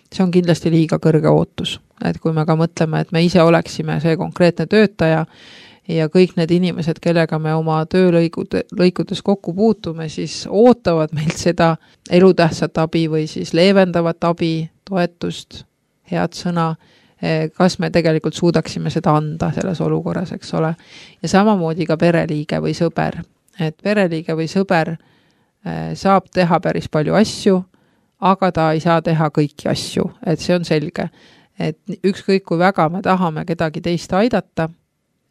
see on kindlasti liiga kõrge ootus. Et kui me ka mõtleme, et me ise oleksime see konkreetne töötaja ja kõik need inimesed, kellega me oma töölõikudes kokku puutume, siis ootavad meilt seda elutähtsat abi või siis leevendavat abi, toetust, head sõna, kas me tegelikult suudaksime seda anda selles olukorras, eks ole. Ja samamoodi ka pereliige või sõber. Et pereliige või sõber saab teha päris palju asju, aga ta ei saa teha kõiki asju, et see on selge. Et ükskõik kui väga me tahame kedagi teist aidata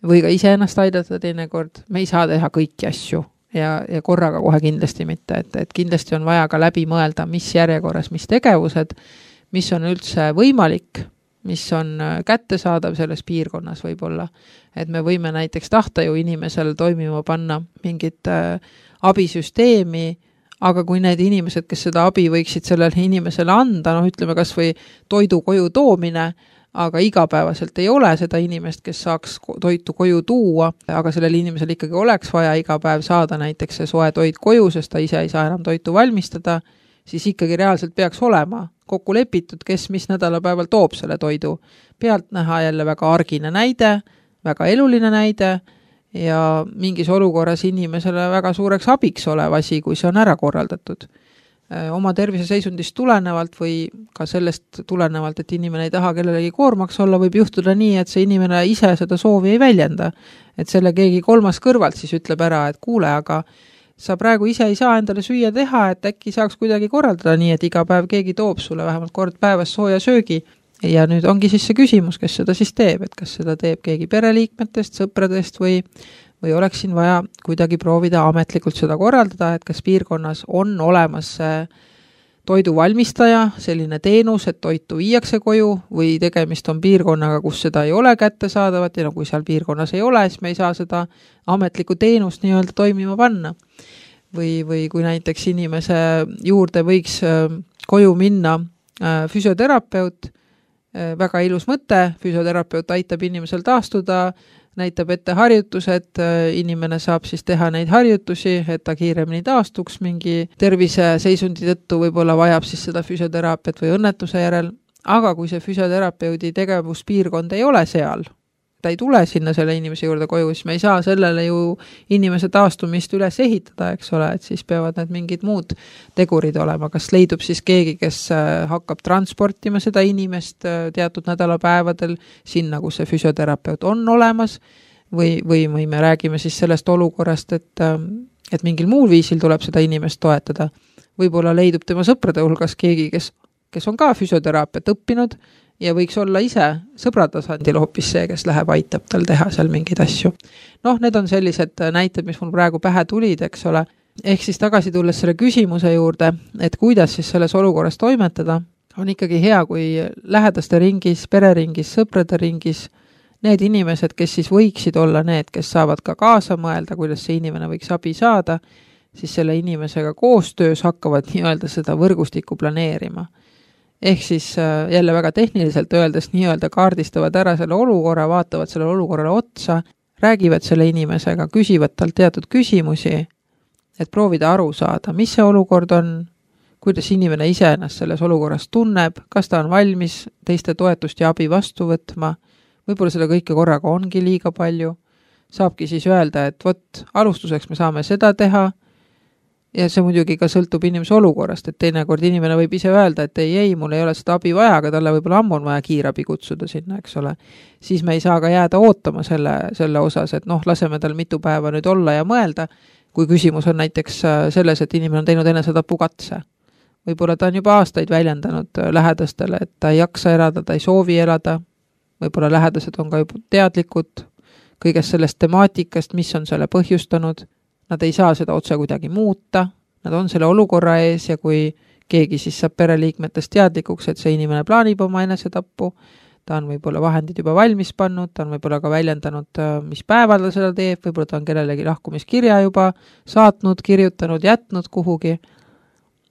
või ka iseennast aidata teinekord, me ei saa teha kõiki asju ja korraga kohe kindlasti mitte, et kindlasti on vaja ka läbi mõelda, mis järjekorras, mis tegevused, mis on üldse võimalik, mis on kättesaadav selles piirkonnas võib-olla. Et me võime näiteks tahta ju inimesel toimima panna mingit abisüsteemi, aga kui need inimesed, kes seda abi võiksid sellele inimesele anda, ütleme kas või toidu koju toomine, aga igapäevaselt ei ole seda inimest, kes saaks toitu koju tuua, aga sellel inimesel ikkagi oleks vaja iga päev saada näiteks see soe toit koju, sest ta ise ei saa enam toitu valmistada, siis ikkagi reaalselt peaks olema kokku lepitud, kes mis nädalapäeval toob selle toidu. Pealt näha jälle väga argine näide, väga eluline näide ja mingis olukorras inimesele väga suureks abiks olev asi, kui see on ära korraldatud. Oma terviseseisundist tulenevalt või ka sellest tulenevalt, et inimene ei taha kellelegi koormaks olla, võib juhtuda nii, et see inimene ise seda soovi ei väljenda. Et selle keegi kolmas kõrvalt siis ütleb ära, et kuule, aga sa praegu ise ei saa endale süüa teha, et äkki saaks kuidagi korraldada nii, et iga päev keegi toob sulle vähemalt kord päevas sooja söögi. Ja nüüd ongi siis see küsimus, kes seda siis teeb, et kas seda teeb keegi pereliikmetest, sõpradest või oleks siin vaja kuidagi proovida ametlikult seda korraldada, et kas piirkonnas on olemas toidu valmistaja, selline teenus, et toitu viiakse koju või tegemist on piirkonnaga, kus seda ei ole kättesaadavat ja kui seal piirkonnas ei ole, siis me ei saa seda ametlikku teenust nii-öelda toimima panna. Või kui näiteks inimese juurde võiks koju minna füsioterapeut, väga ilus mõte, füsioterapeut aitab inimesel taastuda, näitab ette harjutused, inimene saab siis teha neid harjutusi, et ta kiiremini taastuks mingi terviseseisundi tõttu, võib-olla vajab siis seda füsioteraapiat või õnnetuse järel, aga kui see füsioterapeudi tegevuspiirkond ei ole seal, ta ei tule sinna selle inimese juurde koju, siis me ei saa sellele ju inimese taastumist üles ehitada, eks ole, et siis peavad need mingid muud tegurid olema. Kas leidub siis keegi, kes hakkab transportima seda inimest teatud nädalapäevadel sinna, kus see füsioterapeut on olemas või me räägime siis sellest olukorrast, et mingil muul viisil tuleb seda inimest toetada. Võib-olla leidub tema sõprade hulgas keegi, kes on ka füsioteraapiat õppinud ja võiks olla ise sõbratasandil hoopis see, kes läheb, aitab tal teha seal mingeid asju. Need on sellised näited, mis mul praegu pähe tulid, eks ole. Ehk siis tagasi tulles selle küsimuse juurde, et kuidas siis selles olukorras toimetada, on ikkagi hea, kui lähedaste ringis, pereringis, sõprade ringis, need inimesed, kes siis võiksid olla need, kes saavad ka kaasa mõelda, kuidas see inimene võiks abi saada, siis selle inimesega koostöös hakkavad nii-öelda seda võrgustikku planeerima. Ehk siis jälle väga tehniliselt öeldes nii-öelda kaardistavad ära selle olukorra, vaatavad selle olukorrale otsa, räägivad selle inimesega, küsivad talt teatud küsimusi, et proovida aru saada, mis see olukord on, kuidas inimene ise ennast selles olukorras tunneb, kas ta on valmis teiste toetust ja abi vastu võtma, võib-olla selle kõike korraga ongi liiga palju, saabki siis öelda, et alustuseks me saame seda teha, ja see muidugi ka sõltub inimese olukorrast, et teinekord inimene võib ise öelda, et ei, mul ei ole seda abi vaja, aga talle võib-olla ammu on vaja kiirabi kutsuda sinna, eks ole. Siis me ei saa ka jääda ootama selle osas, et laseme tal mitu päeva nüüd olla ja mõelda, kui küsimus on näiteks selles, et inimene on teinud enesetapukatse Võib-olla ta on juba aastaid väljendanud lähedastele, et ta ei jaksa elada, ta ei soovi elada, võib-olla lähedased on ka juba teadlikud kõigest sellest temaatikast, mis on selle põhjustanud, nad ei saa seda otse kuidagi muuta, nad on selle olukorra ees ja kui keegi siis saab pereliikmetest teadlikuks, et see inimene plaanib oma enesetappu, ta on võib-olla vahendid juba valmis pannud, ta on võib-olla ka väljendanud, mis päeval ta seda teeb, võib-olla ta on kellelegi lahkumiskirja juba saatnud, kirjutanud, jätnud kuhugi,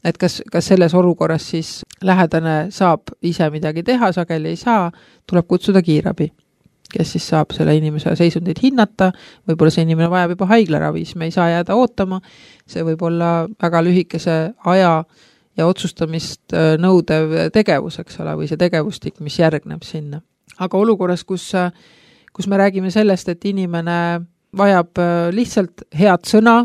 et kas selles olukorras siis lähedane saab ise midagi teha, sageli ei saa, tuleb kutsuda kiirabi, kes siis saab selle inimese seisundit hinnata, võib-olla see inimene vajab juba haiglaravis, me ei saa jääda ootama, see võib olla väga lühikese aja ja otsustamist nõudev tegevus, eks ole, või see tegevustik, mis järgneb sinna. Aga olukorras, kus me räägime sellest, et inimene vajab lihtsalt head sõna,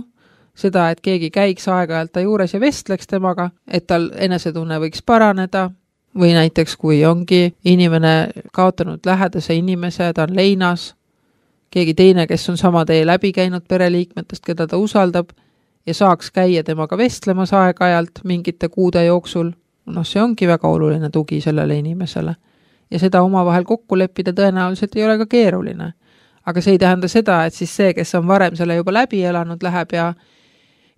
seda, et keegi käiks aeg-ajalt ta juures ja vestleks temaga, et tal enesetunne võiks paraneda, või näiteks kui ongi inimene kaotanud lähedase inimese, ta on leinas, keegi teine, kes on sama tee läbi käinud pereliikmetest, keda ta usaldab, ja saaks käia temaga vestlemas aeg-ajalt mingite kuude jooksul, see ongi väga oluline tugi sellele inimesele. Ja seda omavahel kokku leppida tõenäoliselt ei ole ka keeruline. Aga see ei tähenda seda, et siis see, kes on varem selle juba läbi elanud, läheb ja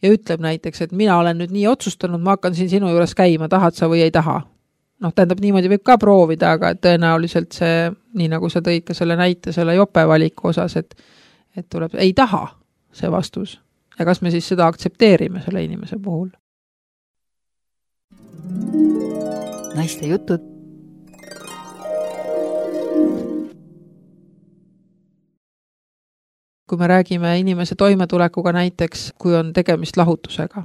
ütleb näiteks, et mina olen nüüd nii otsustanud, ma hakkan siin sinu juures käima, tahad sa või ei taha. Tähendab, niimoodi võib ka proovida, aga tõenäoliselt see, nii nagu sa tõid ka selle näite, selle jope valiku osas, et tuleb, ei taha see vastus. Ja kas me siis seda aktsepteerime selle inimese puhul? Naiste jutud. Kui me räägime inimese toimetulekuga näiteks, kui on tegemist lahutusega,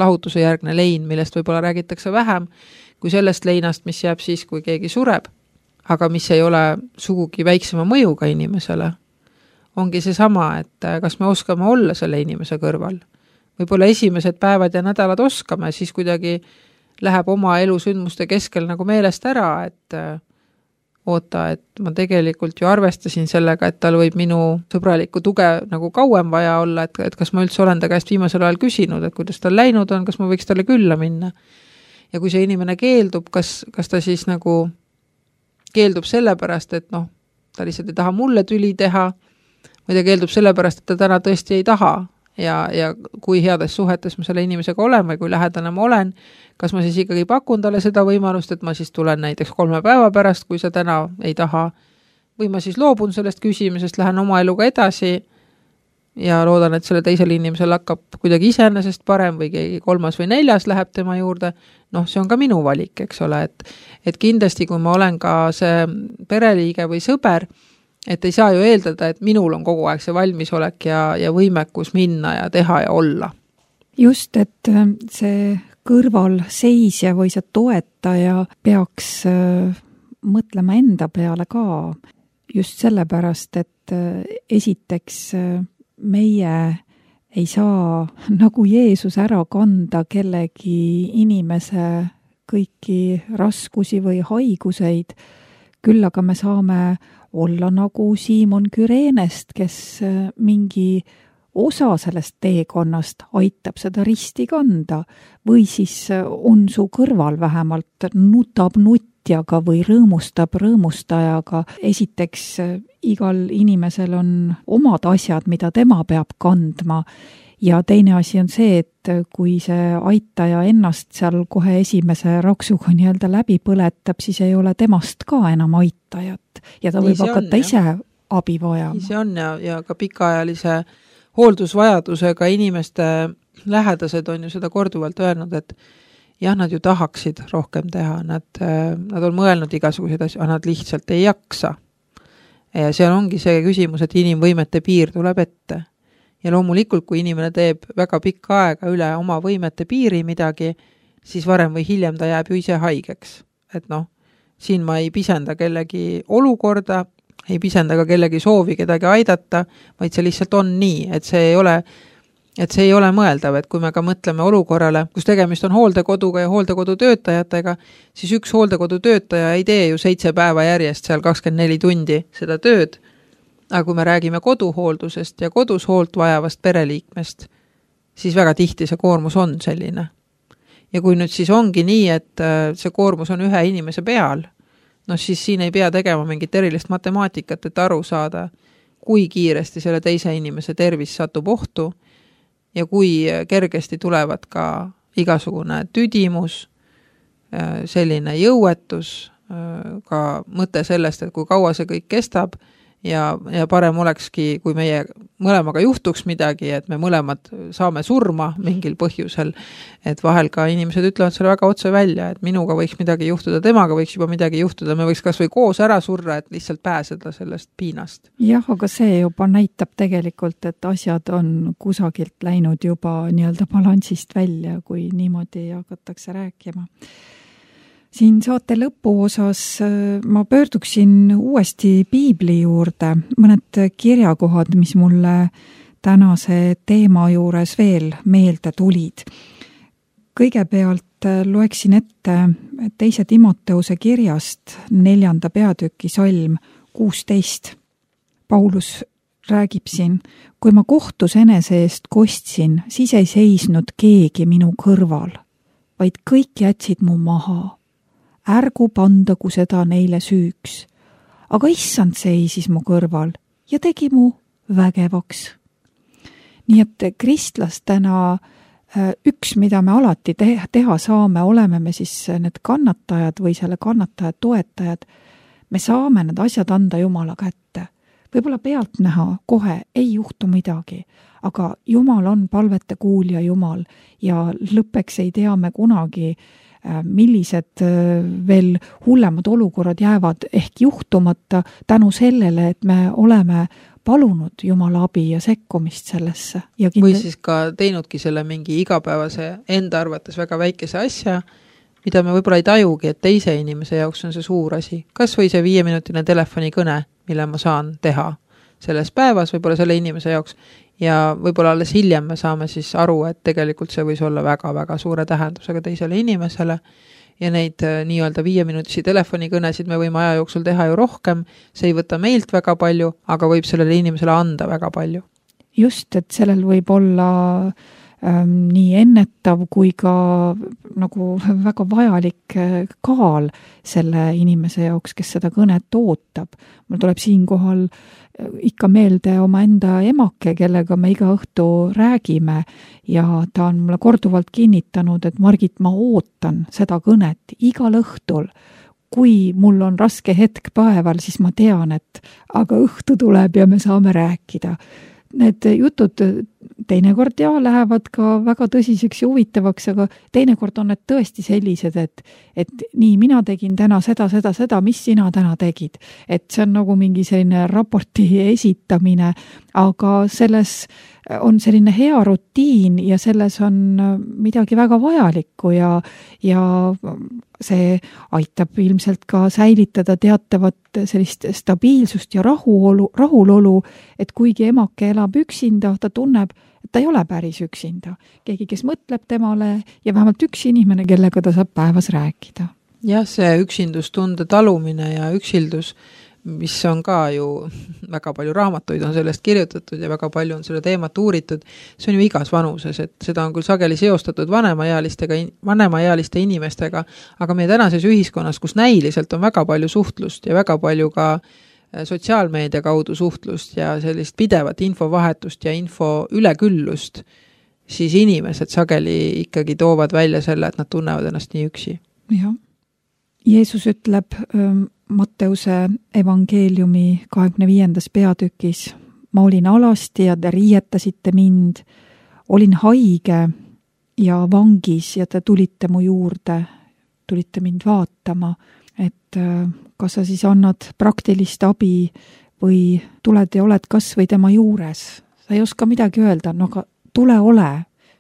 lahutuse järgne lein, millest võib-olla räägitakse vähem, kui sellest leinast, mis jääb siis, kui keegi sureb, aga mis ei ole sugugi väiksema mõjuga inimesele, ongi see sama, et kas me oskame olla selle inimese kõrval. Võib-olla esimesed päevad ja nädalad oskame, siis kuidagi läheb oma elusündmuste keskel nagu meelest ära, et oota, et ma tegelikult ju arvestasin sellega, et tal võib minu sõbralikku tuge nagu kauem vaja olla, et kas ma üldse olen ta käest viimasel ajal küsinud, et kuidas tal läinud on, kas ma võiks talle külla minna. Ja kui see inimene keeldub, kas ta siis nagu keeldub sellepärast, et ta lihtsalt ei taha mulle tüli teha, või ta keeldub sellepärast, et ta täna tõesti ei taha ja kui heades suhetes ma selle inimesega olen või kui lähedane ma olen, kas ma siis ikkagi pakun talle seda võimalust, et ma siis tulen näiteks 3 päeva pärast, kui sa täna ei taha, või ma siis loobun sellest küsimisest, lähen oma eluga edasi ja loodan, et selle teisel inimesel hakkab kuidagi iseenesest parem või keegi 3. või 4. läheb tema juurde, see on ka minu valik, eks ole, et kindlasti, kui ma olen ka see pereliige või sõber, et ei saa ju eeldada, et minul on kogu aeg see valmisolek ja võimekus minna ja teha ja olla. Just, et see kõrvalseisja või see toetaja peaks mõtlema enda peale ka just sellepärast, et esiteks meie ei saa nagu Jeesus ära kanda kellegi inimese kõiki raskusi või haiguseid, küll aga me saame olla nagu Siimon Küreenest, kes mingi osa sellest teekonnast aitab seda risti kanda või siis on su kõrval vähemalt nutab nutjaga või rõõmustab rõõmustajaga. Esiteks, igal inimesel on omad asjad, mida tema peab kandma. Ja teine asi on see, et kui see aitaja ennast seal kohe esimese raksuga nii-öelda läbi põletab, siis ei ole temast ka enam aitajat ja ta võib hakata ise abi vajama. See on ja ka pikaajalise hooldusvajadusega inimeste lähedased on ju seda korduvalt öelnud, et jah, nad ju tahaksid rohkem teha, nad on mõelnud igasuguseid asju, aga nad lihtsalt ei jaksa. Ja seal ongi see küsimus, et inimvõimete piir tuleb ette. Ja loomulikult, kui inimene teeb väga pikka aega üle oma võimete piiri midagi, siis varem või hiljem ta jääb ju ise haigeks. Et siin ma ei pisenda kellegi olukorda, ei pisenda ka kellegi soovi kedagi aidata, vaid see lihtsalt on nii, et see ei ole mõeldav, et kui me ka mõtleme olukorrale, kus tegemist on hooldekoduga ja hooldekodu töötajatega, siis üks hooldekodu töötaja ei tee ju 7 päeva järjest seal 24 tundi seda tööd. Aga kui me räägime koduhooldusest ja kodus hoolt vajavast pereliikmest, siis väga tihti see koormus on selline. Ja kui nüüd siis ongi nii, et see koormus on ühe inimese peal, no siis siin ei pea tegema mingit erilist matemaatikat, et aru saada, kui kiiresti selle teise inimese tervis satub ohtu ja kui kergesti tulevad ka igasugune tüdimus, selline jõuetus, ka mõte sellest, et kui kaua see kõik kestab ja parem olekski, kui meie mõlemaga juhtuks midagi, et me mõlemad saame surma mingil põhjusel, et vahel ka inimesed ütlevad selle väga otse välja, et minuga võiks midagi juhtuda, temaga võiks juba midagi juhtuda, me võiks kas või koos ära surra, et lihtsalt pääseda sellest piinast. Jah, aga see juba näitab tegelikult, et asjad on kusagilt läinud juba nii-öelda balansist välja, kui niimoodi hakatakse rääkima. Siin saate lõpuosas ma pöörduksin uuesti piibli juurde, mõned kirjakohad, mis mulle tänase teema juures veel meelde tulid. Kõigepealt loeksin ette 2. Timoteuse kirjast 4. peatüki salm 16. Paulus räägib siin, kui ma kohtus enese eest kostsin, siis ei seisnud keegi minu kõrval, vaid kõik jätsid mu maha. Ärgu pandagu seda neile süüks. Aga issand seisis mu kõrval ja tegi mu vägevaks. Nii et kristlastena üks, mida me alati teha saame, oleme me siis need kannatajad või selle kannataja toetajad, me saame need asjad anda Jumala kätte. Võib-olla pealtnäha kohe ei juhtu midagi, aga Jumal on palvete kuulja Jumal ja lõppeks ei tea me kunagi, millised veel hullemad olukorrad jäävad ehk juhtumata tänu sellele, et me oleme palunud Jumala abi ja sekkumist sellesse. Ja või siis ka teinudki selle mingi igapäevase enda arvates väga väikese asja, mida me võib-olla ei tajugi, et teise inimese jaoks on see suur asi. Kas või see 5-minutine telefonikõne, mille ma saan teha selles päevas, võib-olla selle inimese jaoks, ja võib-olla alles hiljem me saame siis aru, et tegelikult see võis olla väga-väga suure tähendusega teisele inimesele ja neid nii-öelda 5-minutisi telefonikõnesid me võime aja jooksul teha ju rohkem, see ei võta meilt väga palju, aga võib sellele inimesele anda väga palju. Just, et sellel võib olla nii ennetav kui ka nagu väga vajalik kaal selle inimese jaoks, kes seda kõnet ootab. Mul tuleb siinkohal ikka meelde oma enda emake, kellega me iga õhtu räägime ja ta on mulle korduvalt kinnitanud, et Margit, ma ootan seda kõnet igal õhtul. Kui mul on raske hetk päeval, siis ma tean, et aga õhtu tuleb ja me saame rääkida. Need jutud teinekord lähevad ka väga tõsiseks ja huvitavaks, aga teinekord on need tõesti sellised, et nii, mina tegin täna seda, mis sina täna tegid. Et see on nagu mingi selline raporti esitamine, aga selles on selline hea rutiin ja selles on midagi väga vajalikku ja see aitab ilmselt ka säilitada teatavat sellist stabiilsust ja rahulolu, et kuigi emake elab üksinda, ta tunneb, et ta ei ole päris üksinda. Keegi, kes mõtleb temale ja vähemalt üks inimene, kellega ta saab päevas rääkida. Jah, see üksindustunde talumine ja üksildus, mis on ka ju väga palju raamatuid on sellest kirjutatud ja väga palju on selle teemat uuritud, see on ju igas vanuses, et seda on küll sageli seostatud vanemaealiste inimestega, aga meie tänases ühiskonnas, kus näiliselt on väga palju suhtlust ja väga palju ka sotsiaalmeedia kaudu suhtlust ja sellist pidevat infovahetust ja info üleküllust, siis inimesed sageli ikkagi toovad välja selle, et nad tunnevad ennast nii üksi. Jah. Jeesus ütleb Matteuse evangeeliumi 25. peatükis, ma olin alasti ja te riietasite mind, olin haige ja vangis ja te tulite mu juurde, tulite mind vaatama, et kas sa siis annad praktilist abi või tuled ja oled kas või tema juures. Sa ei oska midagi öelda, no aga tule ole,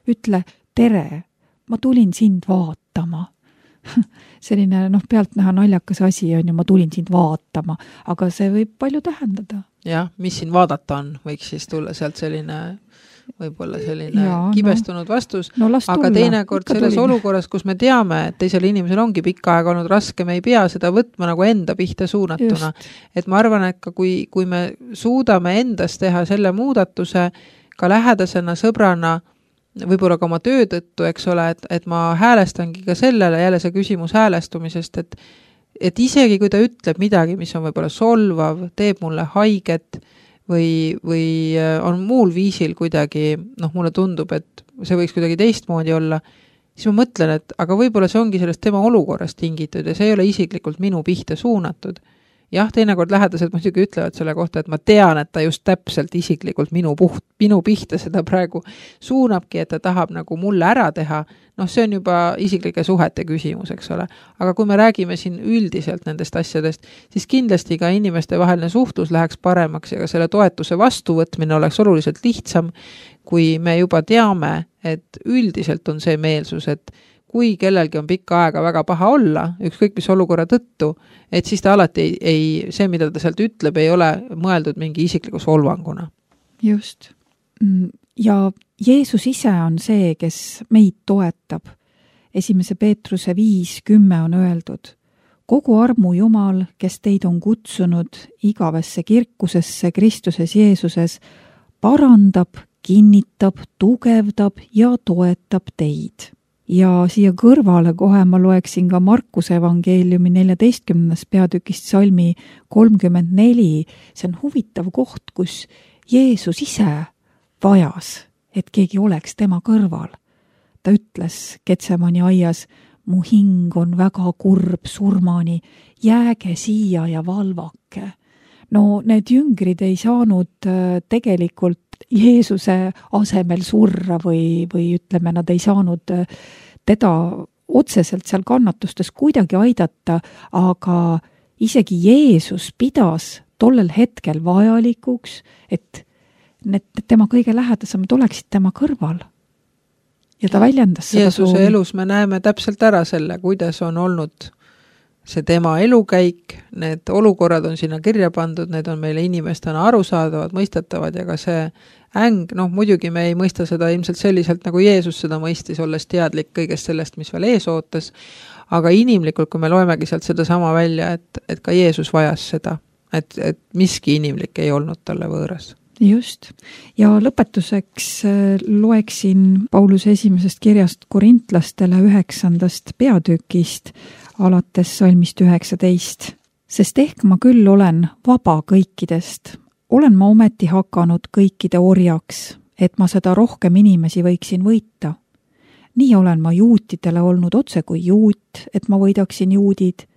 ütle tere, ma tulin sind vaatama. Selline pealtnäha naljakas asi on ja ma tulin sind vaatama, aga see võib palju tähendada. Jah, mis siin vaadata on, võiks siis tulla sealt selline võib-olla selline kibestunud vastus, aga teinekord selles olukorras, kus me teame, et teisel inimesel ongi pikka aega olnud raske, me ei pea seda võtma nagu enda pihta suunatuna. Et ma arvan, et ka kui me suudame endas teha selle muudatuse ka lähedasena, sõbrana, võib-olla ka oma töö tõttu, eks ole, et ma häälestangi ka sellele, jälle see küsimus häälestumisest, et isegi kui ta ütleb midagi, mis on võib-olla solvav, teeb mulle haiget või on muul viisil kuidagi, mulle tundub, et see võiks kuidagi teistmoodi olla, siis ma mõtlen, et aga võib-olla see ongi sellest tema olukorrast tingitud ja see ei ole isiklikult minu pihta suunatud. Jah, teinekord lähedased muidugi ütlevad selle kohta, et ma tean, et ta just täpselt isiklikult minu pihta seda praegu suunabki, et ta tahab nagu mulle ära teha. See on juba isiklike suhete küsimus, eks ole. Aga kui me räägime siin üldiselt nendest asjadest, siis kindlasti ka inimeste vaheline suhtlus läheks paremaks ja ka selle toetuse vastuvõtmine oleks oluliselt lihtsam, kui me juba teame, et üldiselt on see meelsus, et kui kellelgi on pikka aega väga paha olla, ükskõik mis olukorra tõttu, et siis ta alati see, mida ta sealt ütleb, ei ole mõeldud mingi isikliku solvanguna. Just. Ja Jeesus ise on see, kes meid toetab. 1. Peetruse 5:10 on öeldud. Kogu armu Jumal, kes teid on kutsunud igavesse kirkusesse Kristuses Jeesuses, parandab, kinnitab, tugevdab ja toetab teid. Ja siia kõrvale kohe ma loeksin ka Markuse evangeeliumi 14. peatükist salmi 34. See on huvitav koht, kus Jeesus ise vajas, et keegi oleks tema kõrval. Ta ütles Getsemani aias, mu hing on väga kurb surmani, jääge siia ja valvake. Need jüngrid ei saanud tegelikult Jeesuse asemel surra või ütleme, nad ei saanud teda otseselt seal kannatustes kuidagi aidata, aga isegi Jeesus pidas tollel hetkel vajalikuks, et need tema kõige lähedasemad oleksid tema kõrval. Ja ta väljendas seda Jeesuse elus me näeme täpselt ära selle, kuidas on olnud see tema elukäik, need olukorrad on sinna kirja pandud, need on meile inimestena arusaadavad, mõistetavad ja ka see äng, muidugi me ei mõista seda ilmselt selliselt, nagu Jeesus seda mõistis, olles teadlik kõigest sellest, mis veel ees ootas, aga inimlikult, kui me loemegi sealt seda sama välja, et ka Jeesus vajas seda, et miski inimlik ei olnud talle võõras. Just. Ja lõpetuseks loeksin Pauluse esimesest kirjast korintlastele 9. peatükist, alates salmist 19. Sest ehk ma küll olen vaba kõikidest, olen ma ometi hakanud kõikide orjaks, et ma seda rohkem inimesi võiksin võita. Nii olen ma juutidele olnud otse kui juut, et ma võidaksin juudid.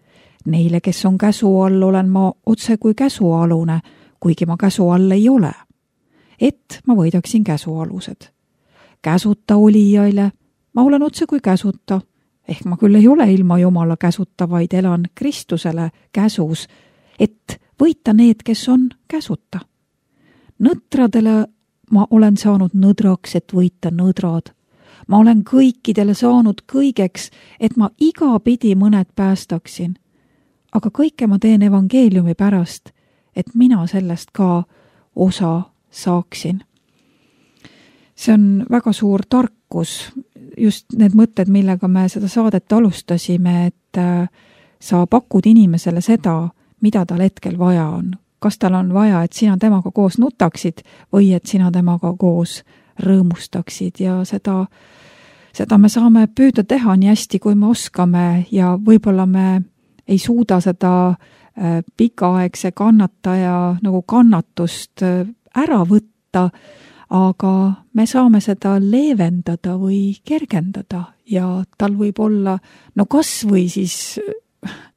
Neile, kes on käsu all, olen ma otse kui käsualune, kuigi ma käsu all ei ole. Et ma võidaksin käsualused. Käsuta olijaile, ma olen otse kui käsuta, ehk ma küll ei ole ilma Jumala käsuta, vaid elan Kristusele käsus, et võita need, kes on käsuta. Nõtradele ma olen saanud nõdraks, et võita nõdrad. Ma olen kõikidele saanud kõigeks, et ma igapidi mõned päästaksin. Aga kõike ma teen evangeeliumi pärast, et mina sellest ka osa saaksin. See on väga suur tarkus, just need mõtted, millega me seda saadet alustasime, et sa pakud inimesele seda, mida tal hetkel vaja on. Kas tal on vaja, et sina temaga koos nutaksid või et sina temaga koos rõõmustaksid ja seda me saame püüda teha nii hästi, kui me oskame ja võib-olla me ei suuda seda pikaaegse kannataja nagu kannatust ära võtta, aga me saame seda leevendada või kergendada ja tal võib olla, kas või siis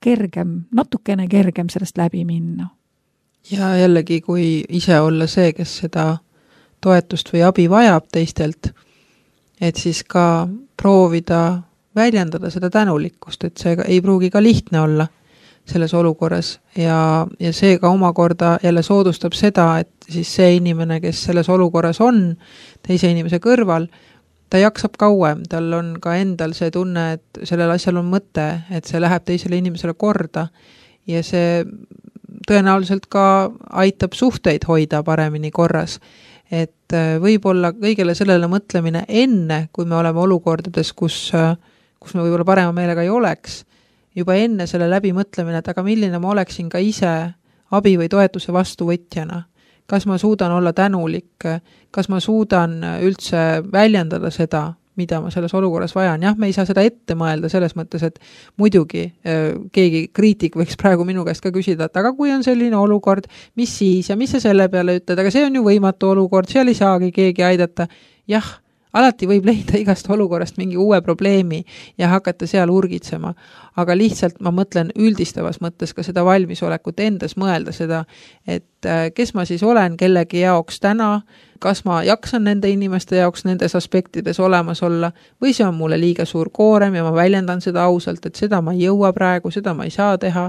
kergem, natukene kergem sellest läbi minna. Ja jällegi, kui ise olla see, kes seda toetust või abi vajab teistelt, et siis ka proovida väljendada seda tänulikkust, et see ei pruugi ka lihtne olla selles olukorras ja see ka omakorda jälle soodustab seda, et siis see inimene, kes selles olukorras on teise inimese kõrval, ta jaksab kauem, tal on ka endal see tunne, et sellel asjal on mõte, et see läheb teisele inimesele korda ja see tõenäoliselt ka aitab suhteid hoida paremini korras. Et võib-olla kõigele sellele mõtlemine enne, kui me oleme olukordades, kus me võib-olla parema meelega ei oleks, juba enne selle läbi mõtlemine, et aga milline ma oleksin ka ise abi või toetuse vastuvõtjana. kas ma suudan olla tänulik, kas ma suudan üldse väljendada seda, mida ma selles olukorras vajan. Jah, me ei saa seda ette mõelda selles mõttes, et muidugi keegi kriitik võiks praegu minu käest ka küsida, et aga kui on selline olukord, mis siis ja mis sa selle peale ütled, aga see on ju võimatu olukord, seal ei saagi keegi aidata. Jah, alati võib leida igast olukorrast mingi uue probleemi ja hakata seal urgitsema, aga lihtsalt ma mõtlen üldistavas mõttes ka seda valmisolekut endas mõelda seda, et kes ma siis olen kellegi jaoks täna, kas ma jaksan nende inimeste jaoks nendes aspektides olemas olla või see on mulle liiga suur koorem ja ma väljendan seda ausalt, et seda ma ei jõua praegu, seda ma ei saa teha,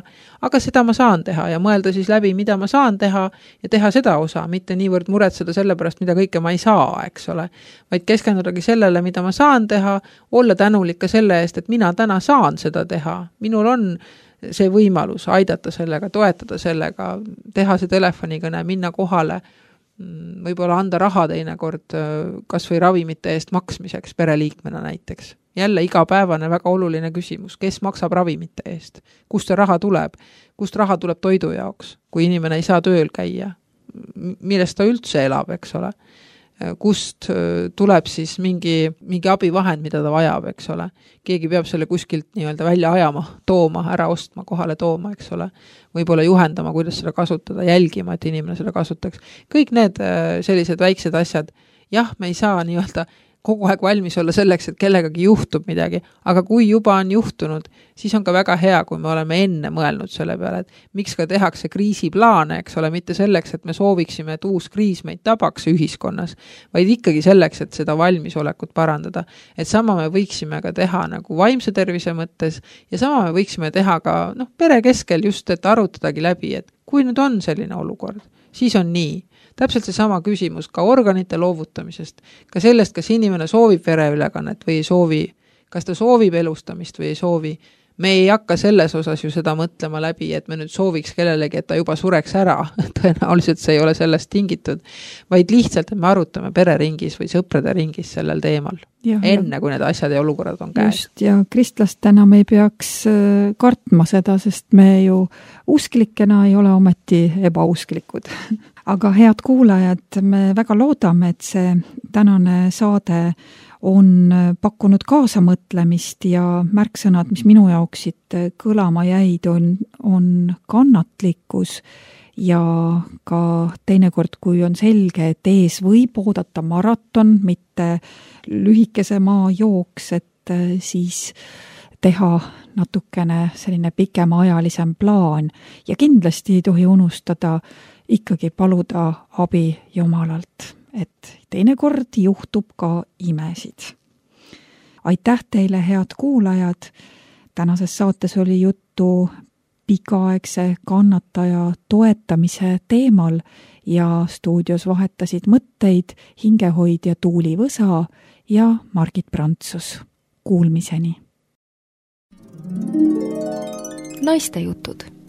aga seda ma saan teha ja mõelda siis läbi, mida ma saan teha ja teha seda osa, mitte niivõrd muretseda selle pärast, mida kõike ma ei saa, eks ole, vaid keskendudagi sellele, mida ma saan teha, olla tänulik ka selle eest, et mina täna saan seda teha, minul on see võimalus aidata sellega, toetada sellega, teha see telefonikõne, minna kohale, võib-olla anda raha teinekord kas või ravimite eest maksmiseks pereliikmena näiteks. Jälle igapäevane väga oluline küsimus, kes maksab ravimite eest, kust see raha tuleb, kust raha tuleb toidu jaoks, kui inimene ei saa tööl käia, millest ta üldse elab, eks ole, kust tuleb siis mingi abivahend, mida ta vajab, eks ole. Keegi peab selle kuskilt nii-öelda välja ajama, tooma, ära ostma, kohale tooma, eks ole. Võib-olla juhendama, kuidas seda kasutada, jälgima, et inimene seda kasutaks. Kõik need sellised väiksed asjad, jah, me ei saa nii-öelda kogu aeg valmis olla selleks, et kellegagi juhtub midagi, aga kui juba on juhtunud, siis on ka väga hea, kui me oleme enne mõelnud selle peale, et miks ka tehakse kriisiplaane, eks ole, mitte selleks, et me sooviksime, et uus kriis meid tabaks ühiskonnas, vaid ikkagi selleks, et seda valmisolekut parandada. Et sama me võiksime ka teha nagu vaimse tervise mõttes ja sama me võiksime teha ka pere keskel just, et arutadagi läbi, et kui nüüd on selline olukord, siis on nii. Täpselt see sama küsimus ka organite loovutamisest, ka sellest, kas inimene soovib vereülekannet või ei soovi, kas ta soovib elustamist või ei soovi. Me ei hakka selles osas ju seda mõtlema läbi, et me nüüd sooviks kellelegi, et ta juba sureks ära, tõenäoliselt see ei ole sellest tingitud, vaid lihtsalt, et me arutame pereringis või sõprade ringis sellel teemal, enne kui need asjad ja olukorrad on käes. Just, ja kristlastena me ei peaks kartma seda, sest me ju usklikena ei ole ometi ebausklikud. Aga head kuulajad, me väga loodame, et see tänane saade on pakkunud kaasamõtlemist ja märksõnad, mis minu jaoks siit kõlama jäid, on kannatlikkus ja ka teinekord, kui on selge, et ees võib oodata maraton, mitte lühikese maajooks, et siis teha natukene selline pikemaajalisem plaan ja kindlasti ei tohi unustada ikkagi paluda abi Jumalalt, et teinekord juhtub ka imesid. Aitäh teile, head kuulajad! Tänases saates oli juttu pikaaegse kannataja toetamise teemal ja stuudios vahetasid mõtteid hingehoidja Tuuli Võsa ja Margit Prantsus. Kuulmiseni! Naistejutud.